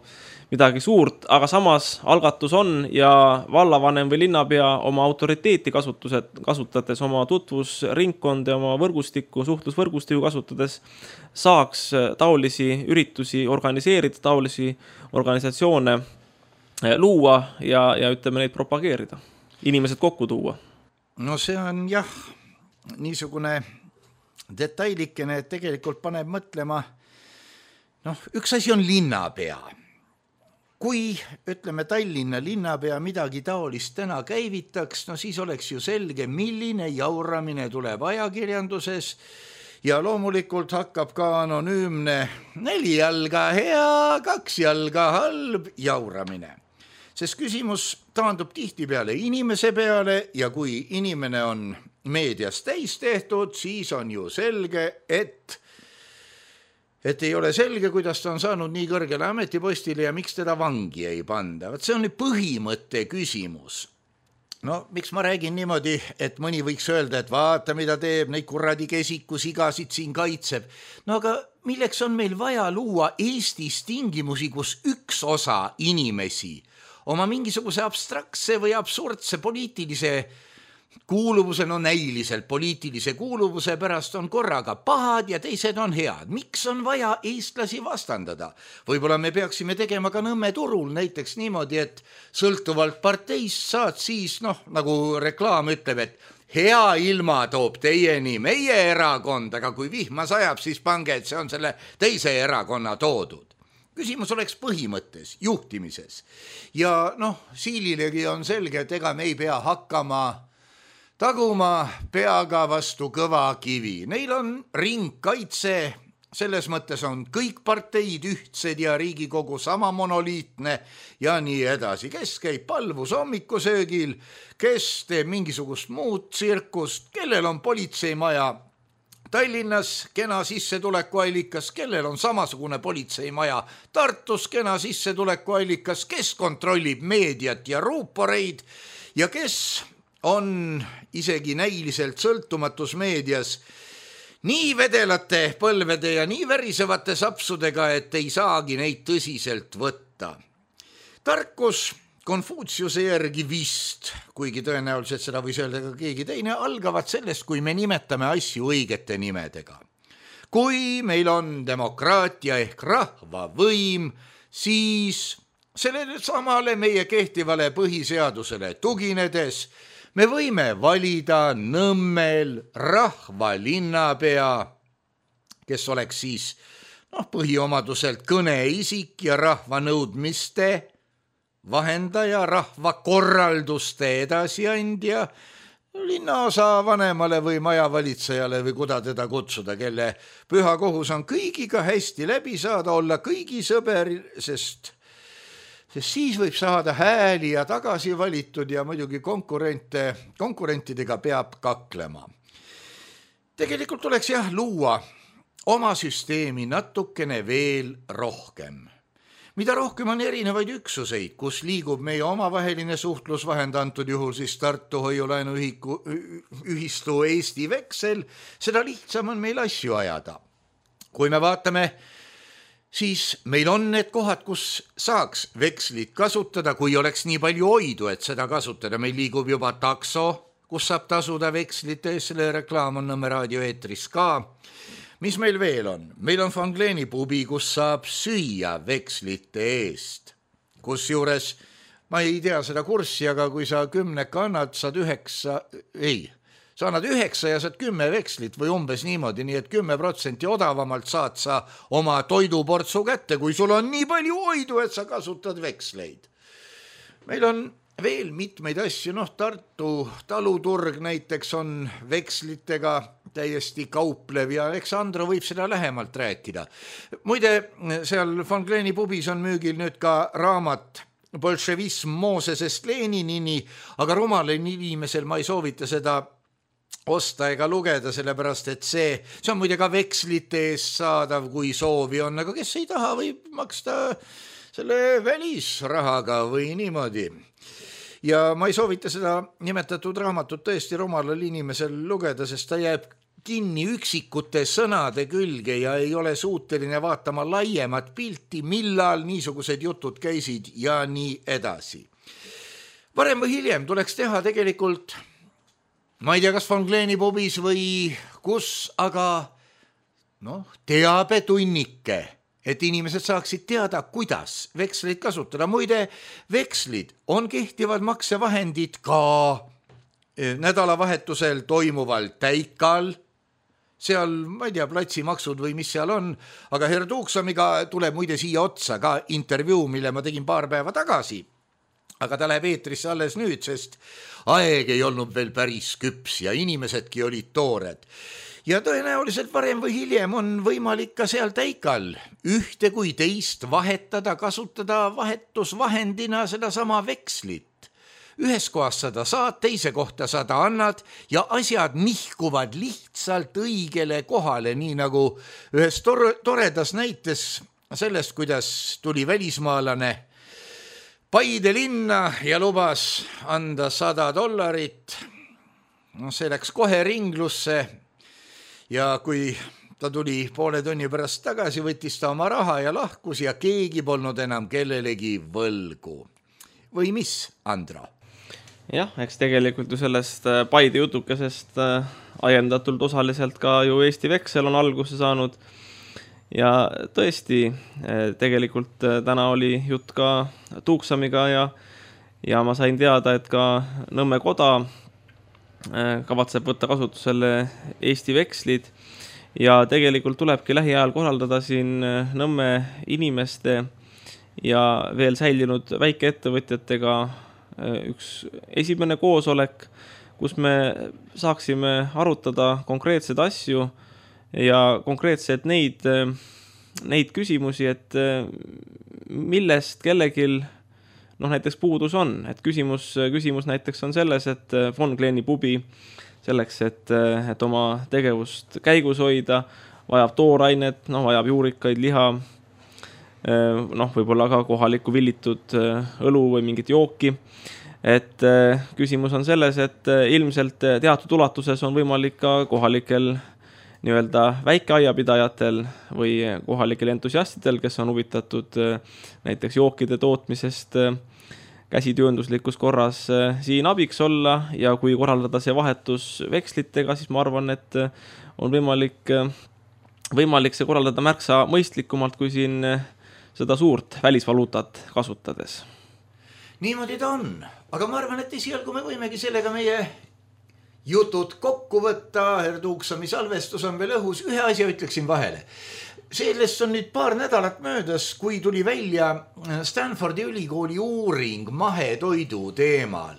midagi suurt, aga samas algatus on ja vallavanem või linnapea oma autoriteeti kasutades, oma tutvusringkonda ja oma võrgustikku, suhtlusvõrgustikku kasutades saaks taolisi üritusi organiseerida, taolisi organisatsioone luua ja ütleme neid propageerida, inimesed kokku tuua. No see on jah, niisugune detailikene, et tegelikult paneb mõtlema, üks asi on linnapea. Kui, ütleme, Tallinna linnapea midagi taolist täna käivitaks, siis oleks ju selge, milline jauramine tuleb ajakirjanduses ja loomulikult hakkab ka anonüümne 4 jalga hea, 2 jalga halb jauramine. Sest küsimus taandub tihtipeale inimese peale ja kui inimene on meedias täis tehtud, siis on ju selge, et ei ole selge, kuidas ta on saanud nii kõrgele ametipostile ja miks teda vangi ei panda. See on põhimõtte küsimus. No miks ma räägin niimoodi, et mõni võiks öelda, et vaata, mida teeb, neid kuradi kesikusigasid siin kaitseb. No aga milleks on meil vaja luua Eestis tingimusi, kus üks osa inimesi oma mingisuguse abstraktse või absurdse poliitilise kuuluvuse, no näiliselt poliitilise kuuluvuse pärast on korraga pahad ja teised on head. Miks on vaja eestlasi vastandada? Võib-olla me peaksime tegema ka Nõmme turul näiteks niimoodi, et sõltuvalt parteist saad siis, nagu reklaam ütleb, et hea ilma toob teieni meie erakond, aga kui vihma sajab, siis pange, et see on selle teise erakonna toodud. Küsimus oleks põhimõttes, juhtimises. Ja Siililegi on selge, et ega me ei pea hakkama taguma peaga vastu kõva kivi. Neil on ringkaitse, selles mõttes on kõik parteid ühtsed ja Riigikogu sama monoliitne ja nii edasi. Kes käib palvus hommikusöögil, kes teeb mingisugust muud tsirkust, kellel on politseimaja Tallinnas, kena sissetulekuallikas, kellel on samasugune politseimaja Tartus, kena sissetulekuallikas, kes kontrollib meediat ja ruuporeid ja kes on isegi näiliselt sõltumatus meedias nii vedelate põlvede ja nii värisevate sapsudega, et ei saagi neid tõsiselt võtta. Tarkus Konfutsiuse järgi vist, kuigi tõenäoliselt seda võis öelda ka keegi teine, algavad sellest, kui me nimetame asju õigete nimedega. Kui meil on demokraatia ehk rahvavõim, siis sellele samale meie kehtivale põhiseadusele tuginedes me võime valida Nõmmel rahvalinnapea, kes oleks siis põhiomaduselt kõneisik ja rahvanõudmiste vahendaja, rahvakorralduste edasiandja, linnaosa vanemale või majavalitsejale või kuda teda kutsuda, kelle püha kohus on kõigiga hästi läbi saada, olla kõigi sõber, sest siis võib saada hääli ja tagasi valitud ja muidugi konkurentidega peab kaklema. Tegelikult tuleks luua oma süsteemi natukene veel rohkem. Mida rohkem on erinevaid üksuseid, kus liigub meie omavaheline suhtlusvahend, antud juhul siis Tartu hoiulaenu ühistu Eesti Veksel, seda lihtsam on meil asju ajada. Kui me vaatame, siis meil on need kohad, kus saaks vekslit kasutada, kui oleks nii palju oidu, et seda kasutada. Meil liigub juba takso, kus saab tasuda vekslite eest, selle reklaam on Nõmme raadio eetris ka. Mis meil veel on? Meil on Fangleeni pubi, kus saab süüa vekslite eest. Kus juures, ma ei tea seda kurssi, aga kui sa 10 annad, saad 9, sa annad 9 ja saad 10 vekslit või umbes niimoodi, nii et 10% odavamalt saad sa oma toiduportsu kätte, kui sul on nii palju oidu, et sa kasutad veksleid. Meil on veel mitmeid asju, Tartu taluturg näiteks on vekslitega täiesti kauplev ja eks Andro võib seda lähemalt rääkida. Muide, seal Fangleeni pubis on müügil nüüd ka raamat Bolševism Moosesest Leninini, aga rumalal inimesel ma ei soovita seda osta ega lugeda, sellepärast et see on muide ka vekslite eest saadav, kui soovi on, aga kes ei taha, võib maksta selle välisrahaga või niimoodi. Ja ma ei soovita seda nimetatud raamatut tõesti rumalal inimesel lugeda, sest ta jääb kinni üksikute sõnade külge ja ei ole suuteline vaatama laiemat pilti, millal niisugused jutud käisid ja nii edasi. Varem või hiljem tuleks teha tegelikult, ma ei tea, kas Fangleeni pubis või kus, aga teabetunnike, et inimesed saaksid teada, kuidas veksleid kasutada. Muide, vekslid on kehtivad maksevahendid ka nädalavahetusel toimuval täikal, seal, ma ei tea, platsimaksud või mis seal on, aga Herr Tuuksamiga tuleb muide siia otsa ka intervjuu, mille ma tegin paar päeva tagasi, aga ta läheb eetrisse alles nüüd, sest aeg ei olnud veel päris küps ja inimesedki olid toored. Ja tõenäoliselt varem või hiljem on võimalik ka seal täikal ühte kui teist vahetada, kasutada vahetusvahendina seda sama vekslit. Ühes kohas sada saad, teise kohta sada annad ja asjad nihkuvad lihtsalt õigele kohale, nii nagu ühes toredas näites sellest, kuidas tuli välismaalane Paide linna ja lubas anda $100. No, see läks kohe ringlusse ja kui ta tuli poole tunni pärast tagasi, võttis ta oma raha ja lahkus ja keegi polnud enam kellelegi võlgu. Või mis, Andro? Jah, eks tegelikult ju sellest Paide jutukesest ajendatult osaliselt ka ju Eesti Veksel on alguse saanud. Ja tõesti, tegelikult täna oli jutt ka Tuuksamiga ja ma sain teada, et ka Nõmme koda kavatseb võtta kasutusele Eesti Vekslid ja tegelikult tulebki lähiajal korraldada siin Nõmme inimeste ja veel säilinud väikeettevõtjatega üks esimene koosolek, kus me saaksime arutada konkreetseid asju ja konkreetselt neid küsimusi, et millest kellegil näiteks puudus on. Et küsimus näiteks on selles, et Von Kleeni pubi selleks, et oma tegevust käigus hoida, vajab toorainet, vajab juurikaid, liha, võib-olla ka kohalikku villitud õlu või mingit jooki. Et küsimus on selles, et ilmselt teatud ulatuses on võimalik ka kohalikel nii-öelda väikeaiapidajatel või kohalikel entusiastidel, kes on huvitatud näiteks jookide tootmisest käsityönduslikus korras siin abiks olla ja kui korraldada see vahetus vekslitega, siis ma arvan, et on võimalik see korraldada märksa mõistlikumalt kui siin seda suurt välisvaluutat kasutades. Niimoodi ta on, aga ma arvan, et esialgu me võimegi sellega meie jutud kokku võtta, Tuuksami salvestus on veel õhus, ühe asja ütleksin vahele. Sellest on nüüd paar nädalat möödas, kui tuli välja Stanfordi ülikooli uuring mahetoidu teemal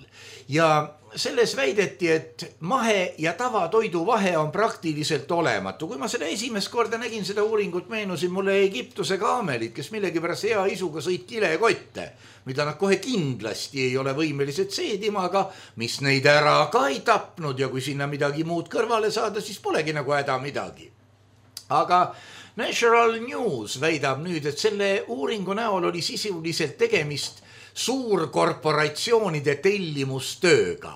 ja selles väideti, et mahe ja tavatoidu vahe on praktiliselt olematu. Kui ma selle esimest korda nägin seda uuringut, meenusin mulle Egiptuse kaamelid, kes millegipärast hea isuga sõid kilekotte, mida nad kohe kindlasti ei ole võimelised seedima, aga mis neid ära ka ei tapnud ja kui sinna midagi muud kõrvale saada, siis polegi nagu häda midagi. Aga National News väidab nüüd, et selle uuringu näol oli sisuliselt tegemist suurkorporatsioonide tellimustööga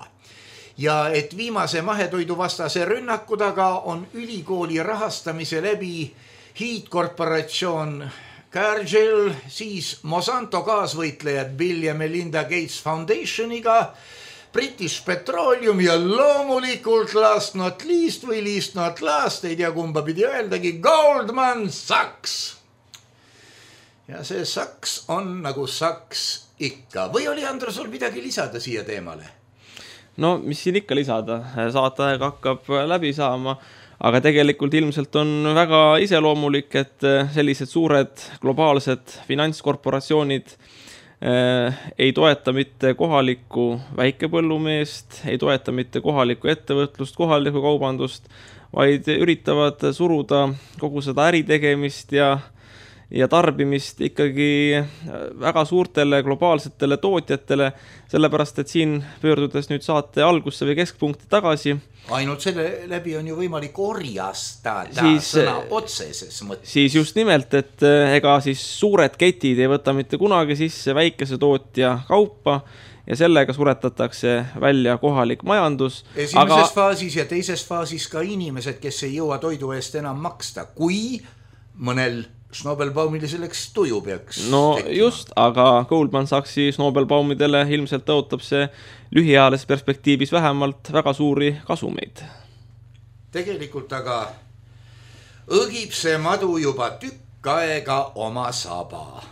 ja et viimase mahetoidu vastase rünnaku taga on ülikooli rahastamise läbi hiidkorporatsioon Cargill, siis Monsanto kaasvõitlejad Bill ja Melinda Gates Foundationiga, British Petroleum ja loomulikult last not least, ei tea kumba pidi öeldagi, Goldman Sachs. Ja see Sachs on nagu Sachs ikka. Või oli, Andro, sul midagi lisada siia teemale? No, mis siin ikka lisada? Saataeg hakkab läbi saama, aga tegelikult ilmselt on väga iseloomulik, et sellised suured globaalsed finantskorporatsioonid ei toeta mitte kohalikku väikepõllumeest, ei toeta mitte kohalikku ettevõtlust, kohalikku kaubandust, vaid üritavad suruda kogu seda äritegemist ja tarbimist ikkagi väga suurtele globaalsetele tootjatele, sellepärast, et siin pöördudes nüüd saate algusse või keskpunkti tagasi. Ainult selle läbi on ju võimalik orjastada sõna otseses mõttes. Siis just nimelt, et ega siis suured ketid ei võta mitte kunagi sisse väikese tootja kaupa ja sellega suretatakse välja kohalik majandus. Esimeses faasis ja teises faasis ka inimesed, kes ei jõua toidu eest enam maksta, kui mõnel Snobelbaumile selleks tuju peaks tekkima. Just, aga Goldman Sachsi Snobelbaumidele ilmselt tõotab see lühiajalises perspektiivis vähemalt väga suuri kasumeid. Tegelikult aga õgib see madu juba tükk aega oma saba.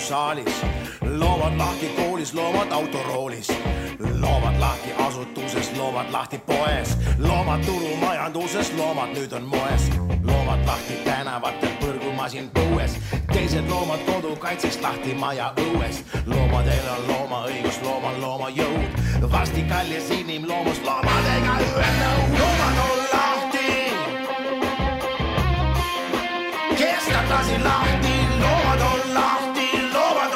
Saalis. Loomad lahti koolis, loomad autoroolis, loomad lahti asutuses, loomad lahti poes, loomad turumajanduses, loomad nüüd on moes, loomad lahti tänavatel, põrgumasin põues, teised loomad kodukaitseks lahti maja õues. Loomadel on loomaõigus, loomal looma jõud. Varsti kallis inimloomus loomadega ühe nõu. Loomad on lahti, kestab lasi lahti. Loomad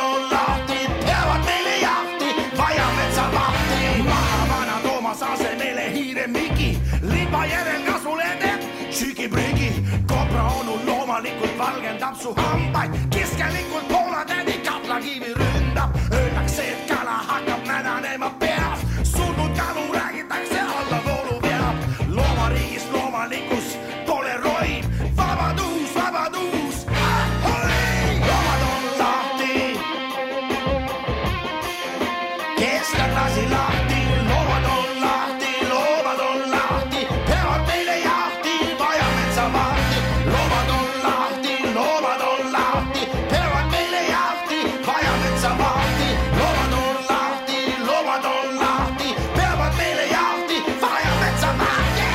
on lahti, peavad meile jahti, vaja metsa vahti. Maha vana Toomas asemele hiire Miki, lipa järel kasvule teeb sügiprügi. Kobra onu loomalikult valgendab su hambaid, keskelikult poolatädi kaplakivi ründab. Öeldakse, et kala hakkab mädanema peas, surnud kalu räägitakse alla voolu peab. Loomariigis loomalikkus pole roib, vabadus, vabadus. Loomad on lahti, kestab lasi lahti. Loomad on lahti, peavad meile jahti, vaja metsa vahti. Loomad on lahti, peavad meile jahti, vaja metsa vahti. Loomad on lahti, peavad meile jahti, vaja metsa vahti.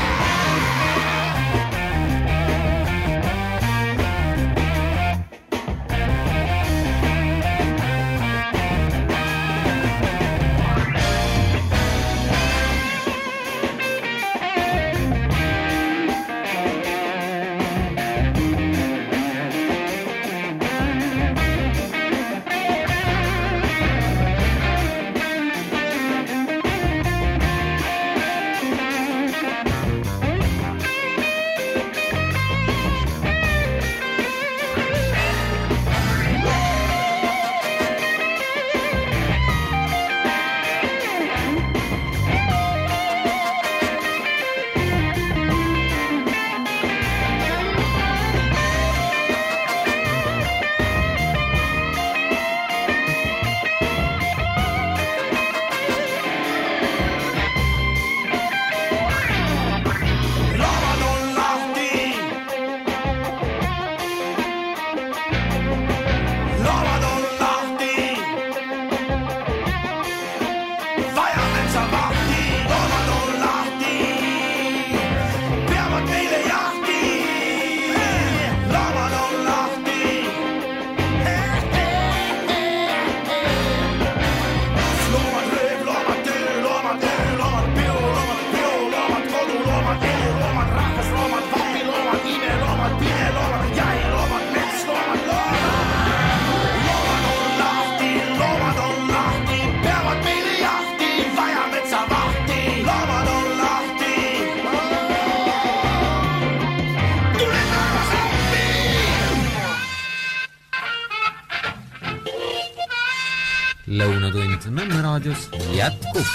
Lõunatund Nõmme raadios jätkub.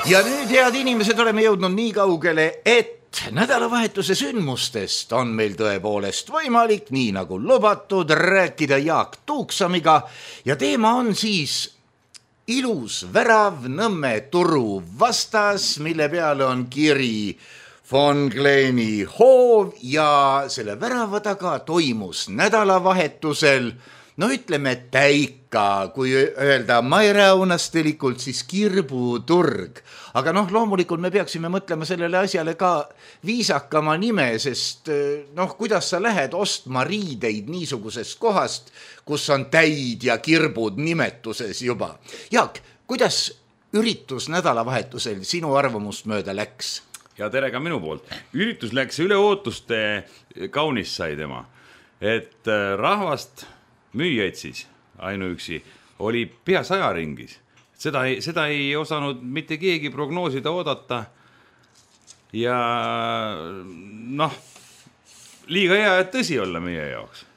Ja nüüd, head inimesed, oleme jõudnud nii kaugele, et nädalavahetuse sündmustest on meil tõepoolest võimalik, nii nagu lubatud, rääkida Jaak Tuuksamiga ja teema on siis ilus värav Nõmme turu vastas, mille peale on kiri von Kleeni hoov ja selle värava taga toimus nädalavahetusel, no ütleme täika, kui öelda mairaunastelikult, siis kirbuturg. Aga loomulikult me peaksime mõtlema sellele asjale ka viisakama nime, sest kuidas sa lähed ostma riideid niisugusest kohast, kus on täid ja kirbud nimetuses juba. Jaak, kuidas üritus nädalavahetusel sinu arvamust mööda läks? Ja tere ka minu poolt. Üritus läks üle ootuste kaunis sai tema. Et rahvast müüjaid siis ainuüksi oli pea 100 ringis. Seda ei osanud mitte keegi prognoosida oodata. Ja liiga hea, et tõsi olla meie jaoks.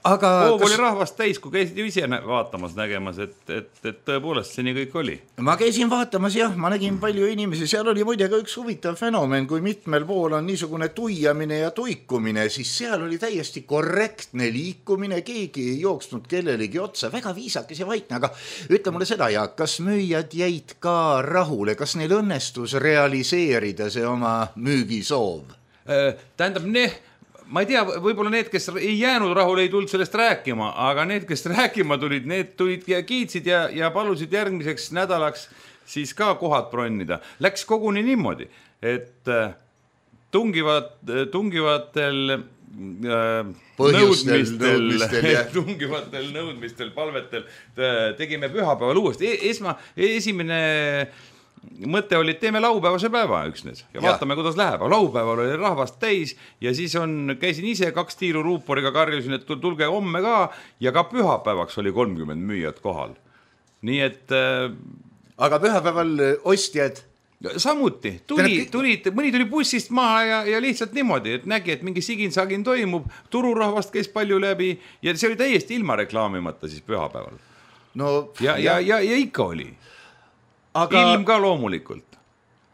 Aga oli rahvast täis, kui käisid ju ise vaatamas, nägemas, et tõepoolest see nii kõik oli. Ma käisin vaatamas, jah, ma nägin palju inimesi, seal oli muide ka üks huvitav fenomen, kui mitmel pool on niisugune tuiamine ja tuikumine, siis seal oli täiesti korrektne liikumine, keegi ei jooksnud kellelegi otsa, väga viisakas ja vaikne, aga ütle mulle seda, Jaak, kas müüjad jäid ka rahule, kas neil õnnestus realiseerida see oma müügisoov? Tähendab, ma ei tea, võib-olla need, kes ei jäänud rahule, ei tulnud sellest rääkima, aga need, kes rääkima tulid, need tulid ja kiitsid ja palusid järgmiseks nädalaks siis ka kohad bronnida. Läks koguni niimoodi, et tungivatel nõudmistel, palvetel tegime pühapäeval uuesti. Esimene mõte oli, et teeme laupäevase päeva üksnes ja vaatame, kuidas läheb. Laupäeval oli rahvast täis ja siis käisin ise 2 tiiru ruuporiga, karjusin, et tulge homme ka ja ka pühapäevaks oli 30 müüjat kohal. Nii et... Aga pühapäeval ostjad... Samuti, mõni tuli bussist maha ja lihtsalt niimoodi, et nägi, et mingi sigin-sagin toimub, tururahvast käis palju läbi ja see oli täiesti ilma reklaamimata siis pühapäeval. Ja ikka oli. Ilm ka loomulikult.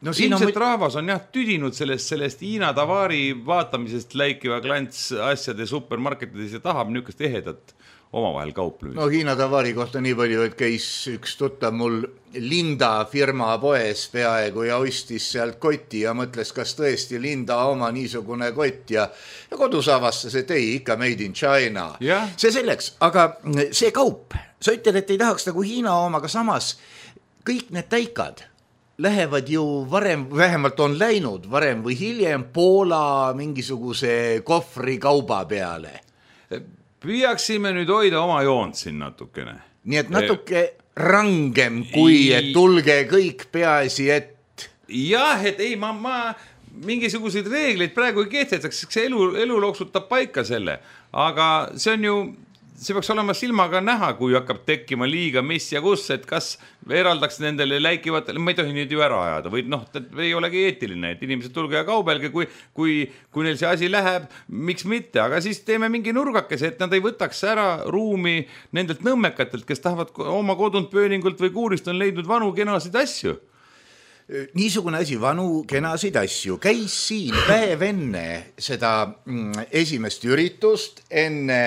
Ilmselt rahvas on tüdinud sellest Hiina Tavari vaatamisest läikiva klants asjade supermarketides ja tahab niisugust ehedat omavahel kauplemist. Hiina Tavari kohta nii palju, et käis üks tuttav mul Linda firma poes peaaegu ja ostis sealt kotti ja mõtles, kas tõesti Linda oma niisugune kott ja kodus avastas, et ei, ikka made in China. See selleks, aga see kaup, sa ütled, et ei tahaks nagu Hiina oma, aga samas kõik need täikad lähevad ju varem, vähemalt on läinud varem või hiljem Poola mingisuguse kohvri kauba peale. Püüaksime nüüd hoida oma joont siin natukene. Nii et natuke rangem kui, et tulge kõik peaasi, et... Jah, et ei, ma mingisuguseid reegleid praegu ei kehtestaks, see elu loksutab paika selle, aga see peaks olema silmaga näha, kui hakkab tekkima liiga mis ja kus, et kas eraldaks nendele läikivatele, ma ei tohi nüüd ju ära ajada, või ei olegi eetiline, et inimesed tulge ja kaubelge, kui neil see asi läheb, miks mitte, aga siis teeme mingi nurgakese, et nad ei võtaks ära ruumi nendelt nõmmekatelt, kes tahavad oma kodunt pööningult või kuurist on leidnud vanu kenasid asju. Niisugune asi, vanu kenasid asju, käis siin päev enne seda esimest üritust, enne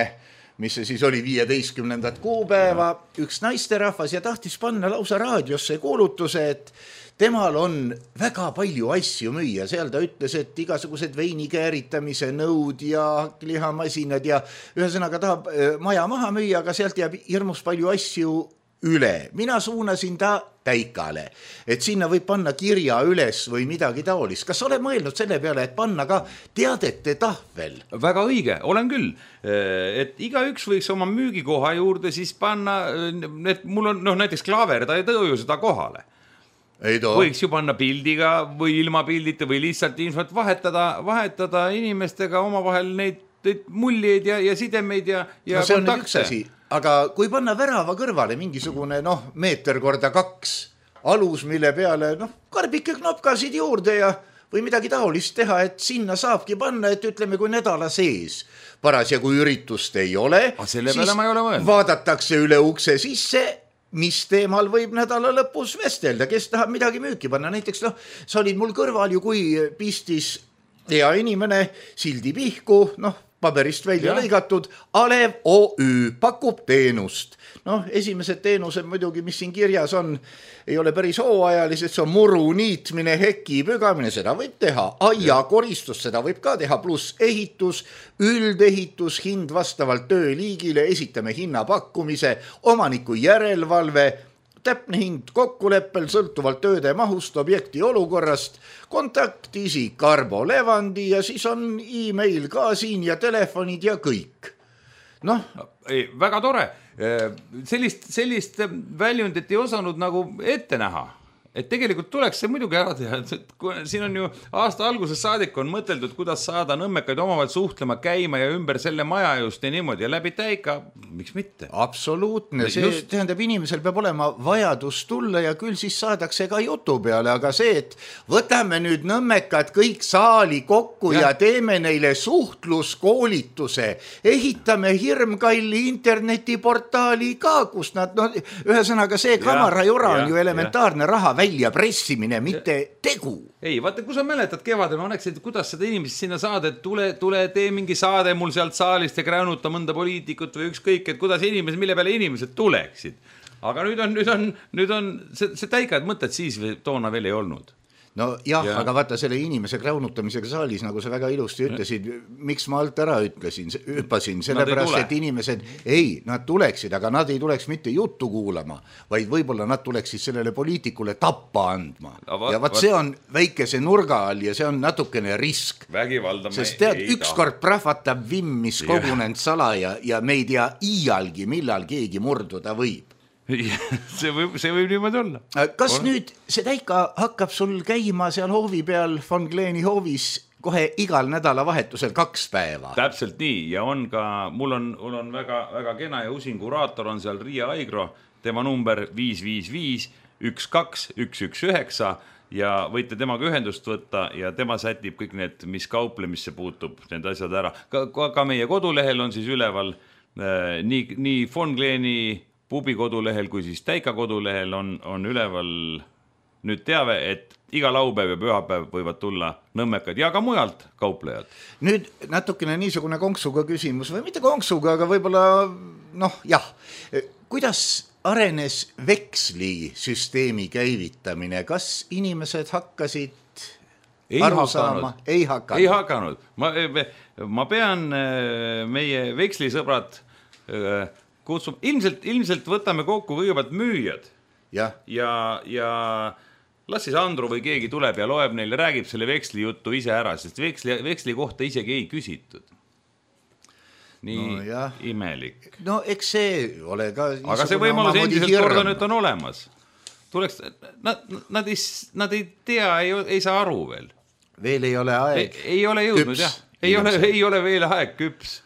mis see siis oli 15. kuupäeva, üks naisterahvas ja tahtis panna lausa raadiosse kuulutuse, et temal on väga palju asju müüa. Seal ta ütles, et igasugused veini kääritamise nõud ja lihamasinad ja ühesõnaga tahab maja maha müüa, aga sealt jääb hirmus palju asju üle. Mina suunasin ta täikale, et sinna võib panna kirja üles või midagi taolist. Kas ole mõelnud selle peale, et panna ka teadete tahvel? Väga õige, olen küll. Et igaüks võiks oma müügikoha juurde siis panna, et mul on näiteks Klaver, ta ei tõu ju seda kohale. Võiks ju panna pildiga või ilma pildita või lihtsalt infot vahetada inimestega omavahel neid muljeid ja sidemeid ja see on üks asi. Aga kui panna värava kõrvale mingisugune meeter korda 2 alus, mille peale karbike knopkasid juurde ja või midagi taolist teha, et sinna saabki panna, et ütleme, kui nädala sees parasjagu kui üritust ei ole, siis vaadatakse üle ukse sisse, mis teemal võib nädala lõpus vestelda, kes tahab midagi müüki panna. Näiteks sa olid mul kõrval ju, kui pistis hea inimene sildi pihku, paberist välja lõigatud, Alev OÜ pakub teenust. Esimesed teenused muidugi, mis siin kirjas on, ei ole päris hooajalised, see on muru niitmine, heki pügamine, seda võib teha, aia koristus, seda võib ka teha, pluss ehitus, üldehitus, hind vastavalt tööliigile, esitame hinnapakkumise, omaniku järelevalve, täpne hind kokkuleppel sõltuvalt tööde mahust, objekti olukorrast, kontaktisik Arbo Levandi ja siis on e-mail ka siin ja telefonid ja kõik. Väga tore. Sellist väljundit ei osanud nagu ette näha. Et tegelikult tuleks see muidugi ära teha. Siin on ju aasta alguses saadik on mõteldud, kuidas saada nõmmekaid omavahel suhtlema, käima ja ümber selle maja just ja niimoodi ja läbi täika. Miks mitte? Absoluutne. See tähendab, inimesel peab olema vajadus tulla ja küll siis saadakse ka jutu peale, aga see, et võtame nüüd nõmmekad kõik saali kokku ja teeme neile suhtluskoolituse, ehitame hirmkalli internetiportaali ka, kus nad, ühesõnaga see kamarajura on ju elementaarne raha välja pressimine, mitte tegu. Ei, vaata, kui sa mäletad kevadel, ma näeksin, kuidas seda inimest sinna saada, et tule tee mingi saade mul sealt saalist ja kräunuta mõnda poliitikut või ükskõik, et kuidas inimesed, mille peale inimesed tuleksid. Aga nüüd on see täikad mõtted siis toona veel ei olnud. no jah, aga vaata selle inimese kräunutamisega saalis, nagu sa väga ilusti ütlesid, miks ma alt ära hüppasin, sellepärast, et inimesed, nad tuleksid, aga nad ei tuleks mitte juttu kuulama, vaid võib-olla nad tuleksid sellele poliitikule tappa andma. Ja vaat see on väikese nurga all ja see on natukene risk. Sest tead, ükskord prahvatab vimm, mis kogunenud salaja ja me ei tea iialgi, millal keegi murduda võib. see võib niimoodi olla. Kas nüüd see täika hakkab sul käima seal hoovi peal von Kleeni hoovis kohe igal nädalavahetusel 2 päeva? Täpselt nii ja on ka, mul on väga, väga kena ja usin kuraator on seal Riia Aigro, tema number 555 12 119 ja võite temaga ühendust võtta ja tema sätib kõik need, mis kauplemisse puutub, need asjad ära. Ka meie kodulehel on siis üleval nii von Kleeni pubi kodulehel kui siis täika kodulehel on üleval nüüd teave, et iga laupäev ja pühapäev võivad tulla nõmmekad ja ka mujalt kauplejad. Nüüd natukene niisugune konksuga küsimus või mitte konksuga, aga võib-olla kuidas arenes vekslisüsteemi käivitamine, kas inimesed hakkasid aru saama? Ei hakanud. Ma pean meie vekslisõbrad kutsuma, ilmselt võtame kokku kõigepealt müüjad ja las siis Andru või keegi tuleb ja loeb neile, räägib selle veksli juttu ise ära, sest veksli kohta isegi ei küsitud. Nii imelik. No eks see ole ka... Aga see võimalus endiselt korda nüüd on olemas. Nad ei tea, ei saa aru veel. Veel ei ole aeg. Ei ole jõudnud, jah. Ei ole veel aeg küps.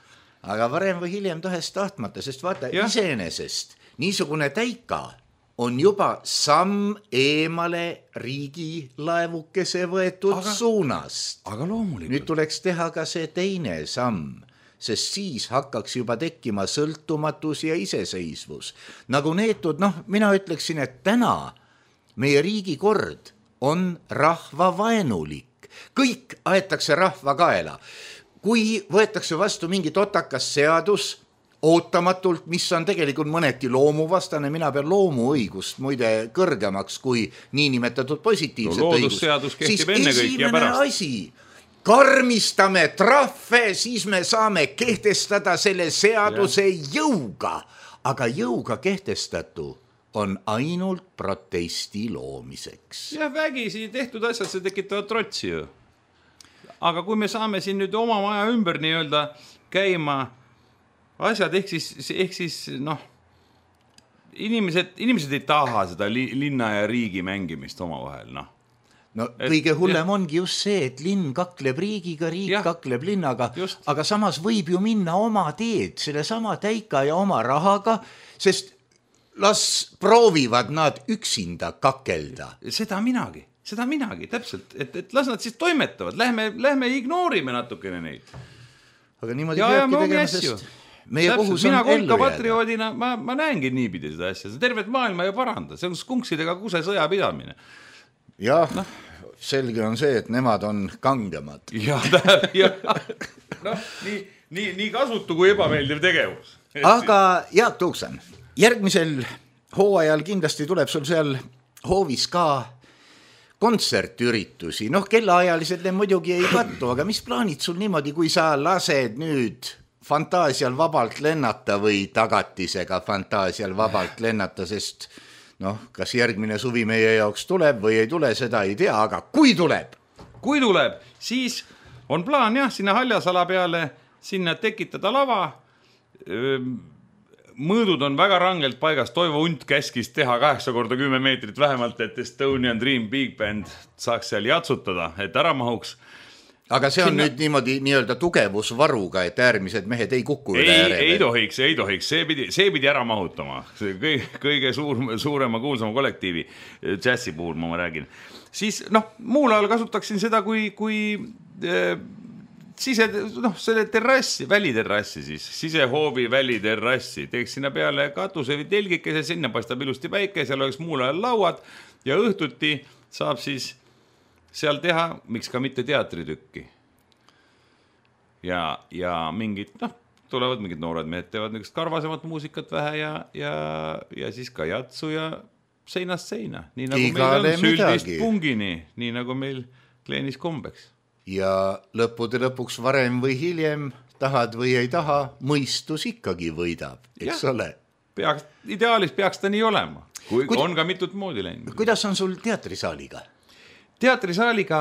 Aga varem või hiljem tahest tahtmata, sest vaata, iseenesest niisugune täika on juba samm eemale riigi laevukese võetud suunast. Aga loomulikult. Nüüd tuleks teha ka see teine samm, sest siis hakkaks juba tekkima sõltumatus ja iseseisvus. Nagu neetud, mina ütleksin, et täna meie riigi kord on rahvavaenulik. Kõik aetakse rahva kaela. Kui võetakse vastu mingi totakas seadus ootamatult, mis on tegelikult mõneti loomuvastane, mina pean loomuõigust muide kõrgemaks kui niinimetatud positiivset õigust, siis esimene asi, karmistame trahve, siis me saame kehtestada selle seaduse jõuga, aga jõuga kehtestatu on ainult protesti loomiseks. Ja vägisi tehtud asjad, see tekitavad trotsi ju. Aga kui me saame siin nüüd oma maja ümber nii-öelda käima asjad, ehk siis inimesed ei taha seda linna ja riigi mängimist oma vahel, kõige hullem ongi just see, et linn kakleb riigiga, riik kakleb linnaga, aga samas võib ju minna oma teed, selle sama täika ja oma rahaga, sest las proovivad nad üksinda kakelda. Seda minagi, täpselt, et las nad siis toimetavad, lähme ignoorime natukene neid. Aga niimoodi peabki tegema, sest meie kohus on mina kolka patrioodina, ma näengi niipidi seda asja, see tervet maailma ju paranda, see on skunksidega kuse sõja pidamine. Jah, selge on see, et nemad on kangemad. Nii kasutu kui ebameeldiv tegevus. Aga Jaak Tuuksan, järgmisel hooajal kindlasti tuleb sul seal hoovis ka kontsertüritusi. Kellaajalised need muidugi ei kattu, aga mis plaanid sul niimoodi, kui sa lased nüüd fantaasial vabalt lennata või tagatisega fantaasial vabalt lennata, sest kas järgmine suvi meie jaoks tuleb või ei tule, seda ei tea, aga kui tuleb, siis on plaan sinna Haljasala peale, sinna tekitada lava. Mõõdud on väga rangelt paigas, Toivo Unt käskis teha 8x10 meetrit vähemalt, et Estonian Dream Big Band saaks seal jatsutada, et ära mahuks. Aga see on nüüd niimoodi nii-öelda tugevusvaruga, et äärmised mehed ei kuku üle ääre. Ei tohiks, see pidi ära mahutama, kõige suurema kuulsama kollektiivi, džässi puhul ma räägin. Siis muul ajal kasutaksin seda kui selle terrassi, väliterrassi siis, sisehoovi väliterrassi, teeks sinna peale katuse või telgikese, sinna paistab ilusti päike, seal oleks muul ajal lauad ja õhtuti saab siis seal teha, miks ka mitte teatritükki. Ja mingid, tulevad mingid noored mehed, teevad niisugust karvasemat muusikat vähe ja siis ka jatsu ja seinast seina, nii nagu Igale meil on süldist midagi. pungini, nii nagu meil kleenis kombeks. Ja lõppude lõpuks varem või hiljem, tahad või ei taha, mõistus ikkagi võidab, eks ole. Ideaalis peaks ta nii olema, kui on ka mitut moodi läinud. Kuidas on sul teatrisaaliga? Teatrisaaliga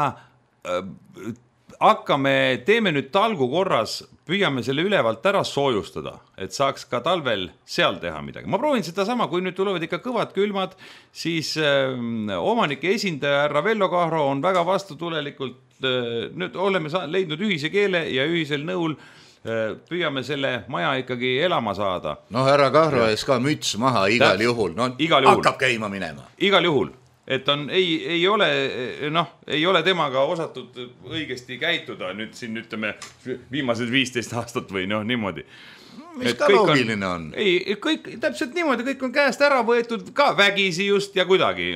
teeme nüüd talgu korras, püüame selle ülevalt ära soojustada, et saaks ka talvel seal teha midagi. Ma proovin seda sama, kui nüüd tulevad ikka kõvad külmad, siis omanike esindaja härra Vello Kahro on väga vastutulelikult, nüüd oleme leidnud ühise keele ja ühisel nõul püüame selle maja ikkagi elama saada. No härra Kahro ees ka müts maha igal juhul, no hakkab käima minema. Igal juhul. Et ei ole temaga osatud õigesti käituda nüüd siin ütleme viimased 15 aastat või niimoodi. Mis ka loogiline on? Ei, kõik täpselt niimoodi, kõik on käest ära võetud ka vägisi just ja kuidagi,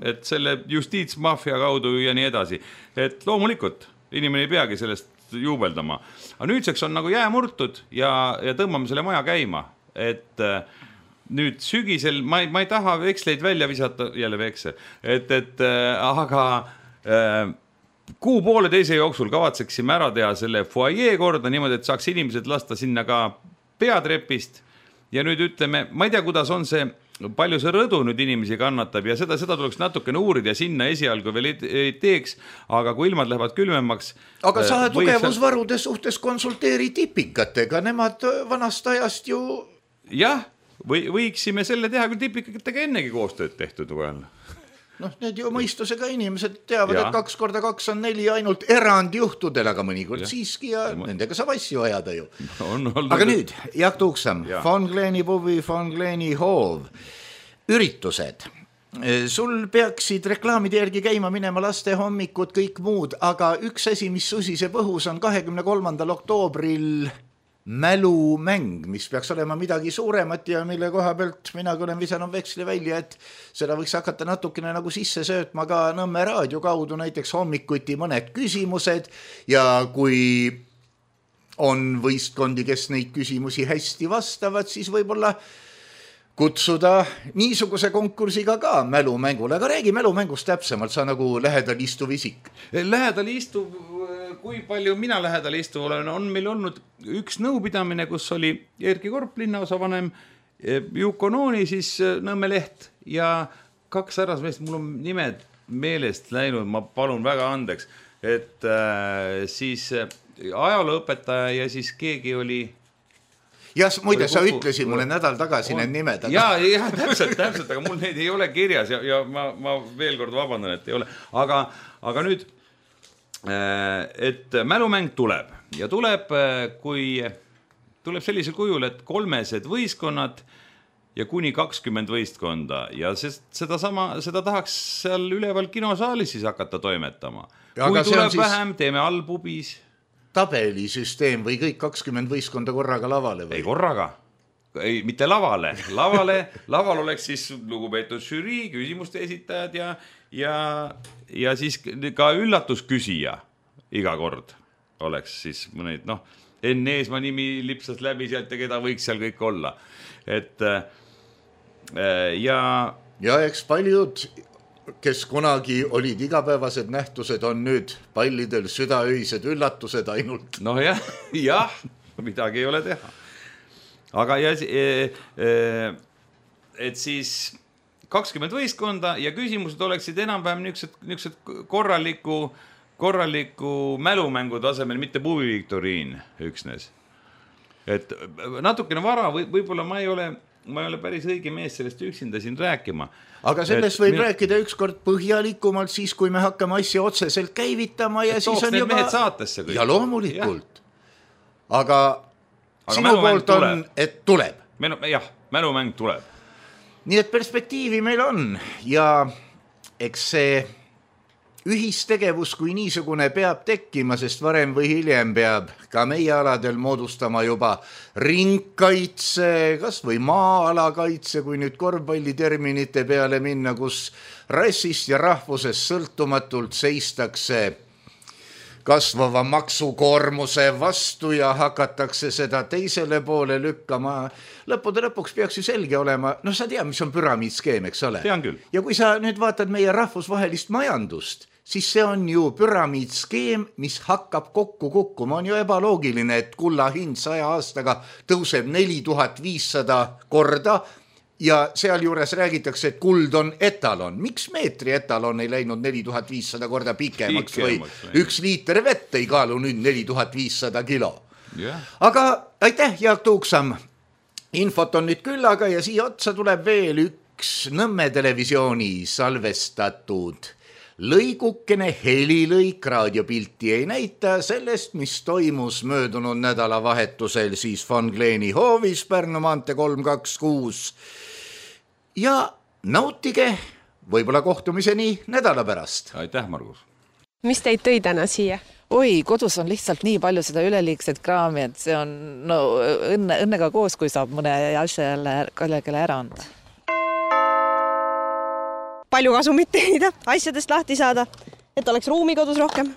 et selle justiitsmafia kaudu ja nii edasi. Et loomulikult inimene ei peagi sellest juubeldama. Aga nüüdseks on nagu jää murtud ja tõmbame selle maja käima, et nüüd sügisel, ma ei taha veksleid välja visata, jälle veksel, aga kuu poole teise jooksul kavatseksime ära teha selle foajee korda niimoodi, et saaks inimesed lasta sinna ka peatrepist ja nüüd ütleme, ma ei tea, kuidas on see, palju see rõdu nüüd inimesi kannatab ja seda tuleks natukene uurida ja sinna esialgu veel ei teeks, aga kui ilmad lähevad külmemaks. Aga sa tugevusvarude suhtes konsulteeri tipikatega, nemad vanast ajast ju... Jah, võiksime selle teha, kui tipikatega ennegi koostööd tehtud vahel. Need ju mõistusega inimesed teavad, et 2x2 on 4 ainult erandjuhtudel, aga mõnikord siiski ja nendega saab asju ajada ju. Aga nüüd, Jaak Tuuksam, Von Kleeni pubi, Von Kleeni hoov, üritused. Sul peaksid reklaamide järgi käima minema laste hommikud, kõik muud, aga üks asi, mis susiseb õhus, on 23. oktoobril mälumäng, mis peaks olema midagi suuremat ja mille koha pealt mina olen visanud veksli välja, et seda võiks hakata natukene nagu sisse söötma ka Nõmme raadio kaudu, näiteks hommikuti mõned küsimused ja kui on võistkondi, kes neid küsimusi hästi vastavad, siis võib-olla kutsuda niisuguse konkursiga ka mälumängule, aga räägi mälumängust täpsemalt, sa nagu lähedal istuv isik. Lähedal istuv, kui palju mina lähedal istuv olen, on meil olnud üks nõupidamine, kus oli Erki Korp, linnaosavanem, Juko Nooni, siis Nõmme Leht ja 2 härrasmeest, mul on nimed meelest läinud, ma palun väga andeks, et siis ajalooõpetaja ja siis keegi oli... Ja muide, sa ütlesid mulle nädal tagasi need nimed. Ja täpselt, aga mul neid ei ole kirjas ja ma veel kord vabandan, et ei ole. Aga nüüd, et mälumäng tuleb ja tuleb sellisel kujul, et 3 võistkonnad ja kuni 20 võistkonda ja seda tahaks seal üleval kinosaalis siis hakata toimetama. Kui tuleb vähem, teeme all pubis. Tabelisüsteem või kõik 20 võistkonda korraga lavale või? Ei korraga, mitte lavale. Laval oleks siis lugupeetud žürii, küsimuste esitajad ja siis ka üllatusküsija iga kord oleks siis mõneid, Enn Eesmaa nimi lipsas läbi sealt ja keda võiks seal kõik olla. Ja eks paljud, kes kunagi olid igapäevased nähtused, on nüüd pallidel südaöised üllatused ainult. Jah, midagi ei ole teha. Aga et siis 20 võistkonda ja küsimused oleksid enam-vähem niisugused korraliku mälumängu tasemel, mitte pubiviktoriin üksnes. Et natukene vara, võib-olla ma ei ole päris õige mees sellest üksinda siin rääkima. Aga sellest võib rääkida ükskord põhjalikumalt siis, kui me hakkame asja otseselt käivitama ja siis on juba... mehed saatesse kõik. Ja loomulikult. Aga sinu poolt on, et tuleb. Jah, mälumäng tuleb. Nii et perspektiivi meil on ja eks see ühistegevus kui niisugune peab tekkima, sest varem või hiljem peab ka meie aladel moodustama juba ringkaitse, kas või maa-alakaitse, kui nüüd korvpalliterminite peale minna, kus rassist ja rahvusest sõltumatult seistakse kasvava maksukoormuse vastu ja hakatakse seda teisele poole lükkama. Lõppude lõpuks peaks ju selge olema, no sa tead, mis on püramiidskeem, eks ole? Tean küll. Ja kui sa nüüd vaatad meie rahvusvahelist majandust, siis see on ju püramiidskeem, mis hakkab kokku kukkuma. On ju ebaloogiline, et kulla hind 100 aastaga tõuseb 4500 korda ja sealjuures räägitakse, et kuld on etalon. Miks meetri etalon ei läinud 4500 korda pikemaks või 1 liiter vett ei kaalu nüüd 4500 kilo? Yeah. Aga aitäh, Jaak Tuuksam. Infot on nüüd küllaga ja siia otsa tuleb veel üks Nõmme televisiooni salvestatud lõigukene helilõik, raadiopilti ei näita sellest, mis toimus möödunud nädalavahetusel siis Von Gleeni hoovis Pärnu maantee 326. Ja nautige võib-olla kohtumiseni nädala pärast. Aitäh, Margus. Mis teid tõi täna siia? Oi, kodus on lihtsalt nii palju seda üleliigset kraami, et see on õnnega koos, kui saab mõne asja jälle kellelegi ära anda. Palju kasumit teenida, asjadest lahti saada, et oleks ruumi kodus rohkem.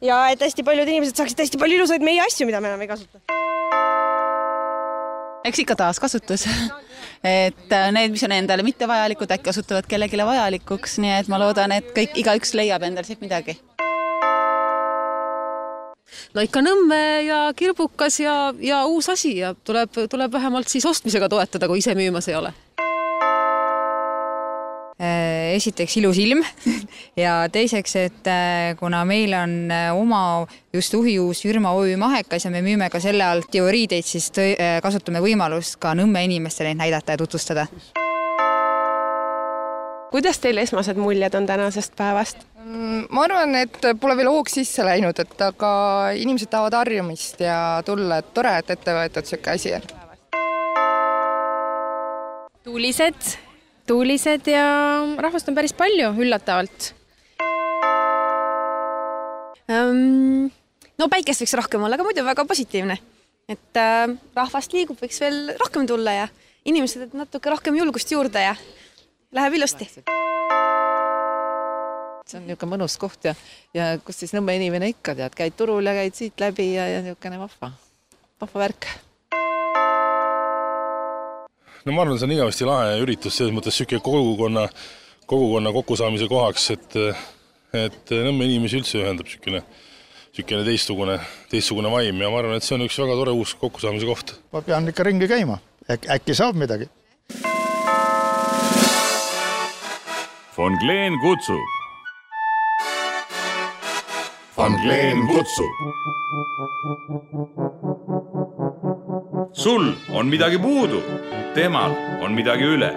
Ja et hästi paljud inimesed saaksid hästi palju ilusaid meie asju, mida me enam ei kasuta. Eks ikka taaskasutus. Et need, mis on endale mitte vajalikud, äkki osutuvad kellegile vajalikuks, nii et ma loodan, et igaüks leiab endal siit midagi. No ikka Nõmme ja kirbukas ja uus asi ja tuleb vähemalt siis ostmisega toetada, kui ise müümas ei ole. Esiteks ilus ilm ja teiseks, et kuna meil on oma just uhiuus Jürma OÜ Mahekas ja me müüme ka selle alt teoriideid, siis kasutame võimalust ka Nõmme inimestele näidata ja tutvustada. Kuidas teil esmased muljed on tänasest päevast? Ma arvan, et pole veel hoog sisse läinud, et aga inimesed tahavad harjumist ja tulla, et tore, et ette võetud siuke asi on. Tuulised ja rahvast on päris palju, üllatavalt. No päikest võiks rohkem olla, aga muidu väga positiivne. Et rahvast liigub, võiks veel rohkem tulla ja inimesed natuke rohkem julgust juurde ja läheb ilusti. See on niisugune mõnus koht ja kus siis Nõmme inimene ikka tead, käid turul ja käid siit läbi ja niisugune vahva värk. No ma arvan, see on igavesti lahe üritus, selles mõttes siuke kogukonna kokkusaamise kohaks, et Nõmme inimesi üldse ühendab siukene teistsugune vaim ja ma arvan, et see on üks väga tore uus kokkusaamise koht. Ma pean ikka ringi käima, äkki saab midagi. Von Gleen kutsub. Von Gleen kutsub. Sul on midagi puudu, temal on midagi üle.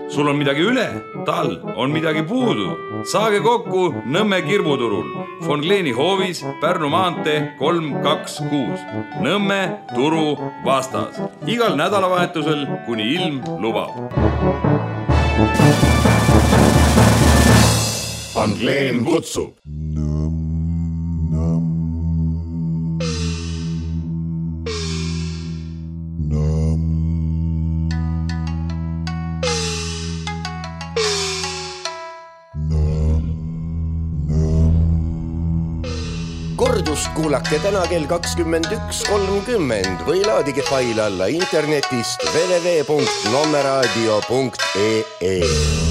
Sul on midagi üle, tal on midagi puudu. Saage kokku Nõmme kirbuturul. Von Gleeni hoovis Pärnu maantee 326. Nõmme turu vastas. Igal nädalavahetusel, kuni ilm lubab. Von Gleen kutsub. Kordust kuulake täna kell 21.30 või laadige fail alla internetist www.nommeradio.ee.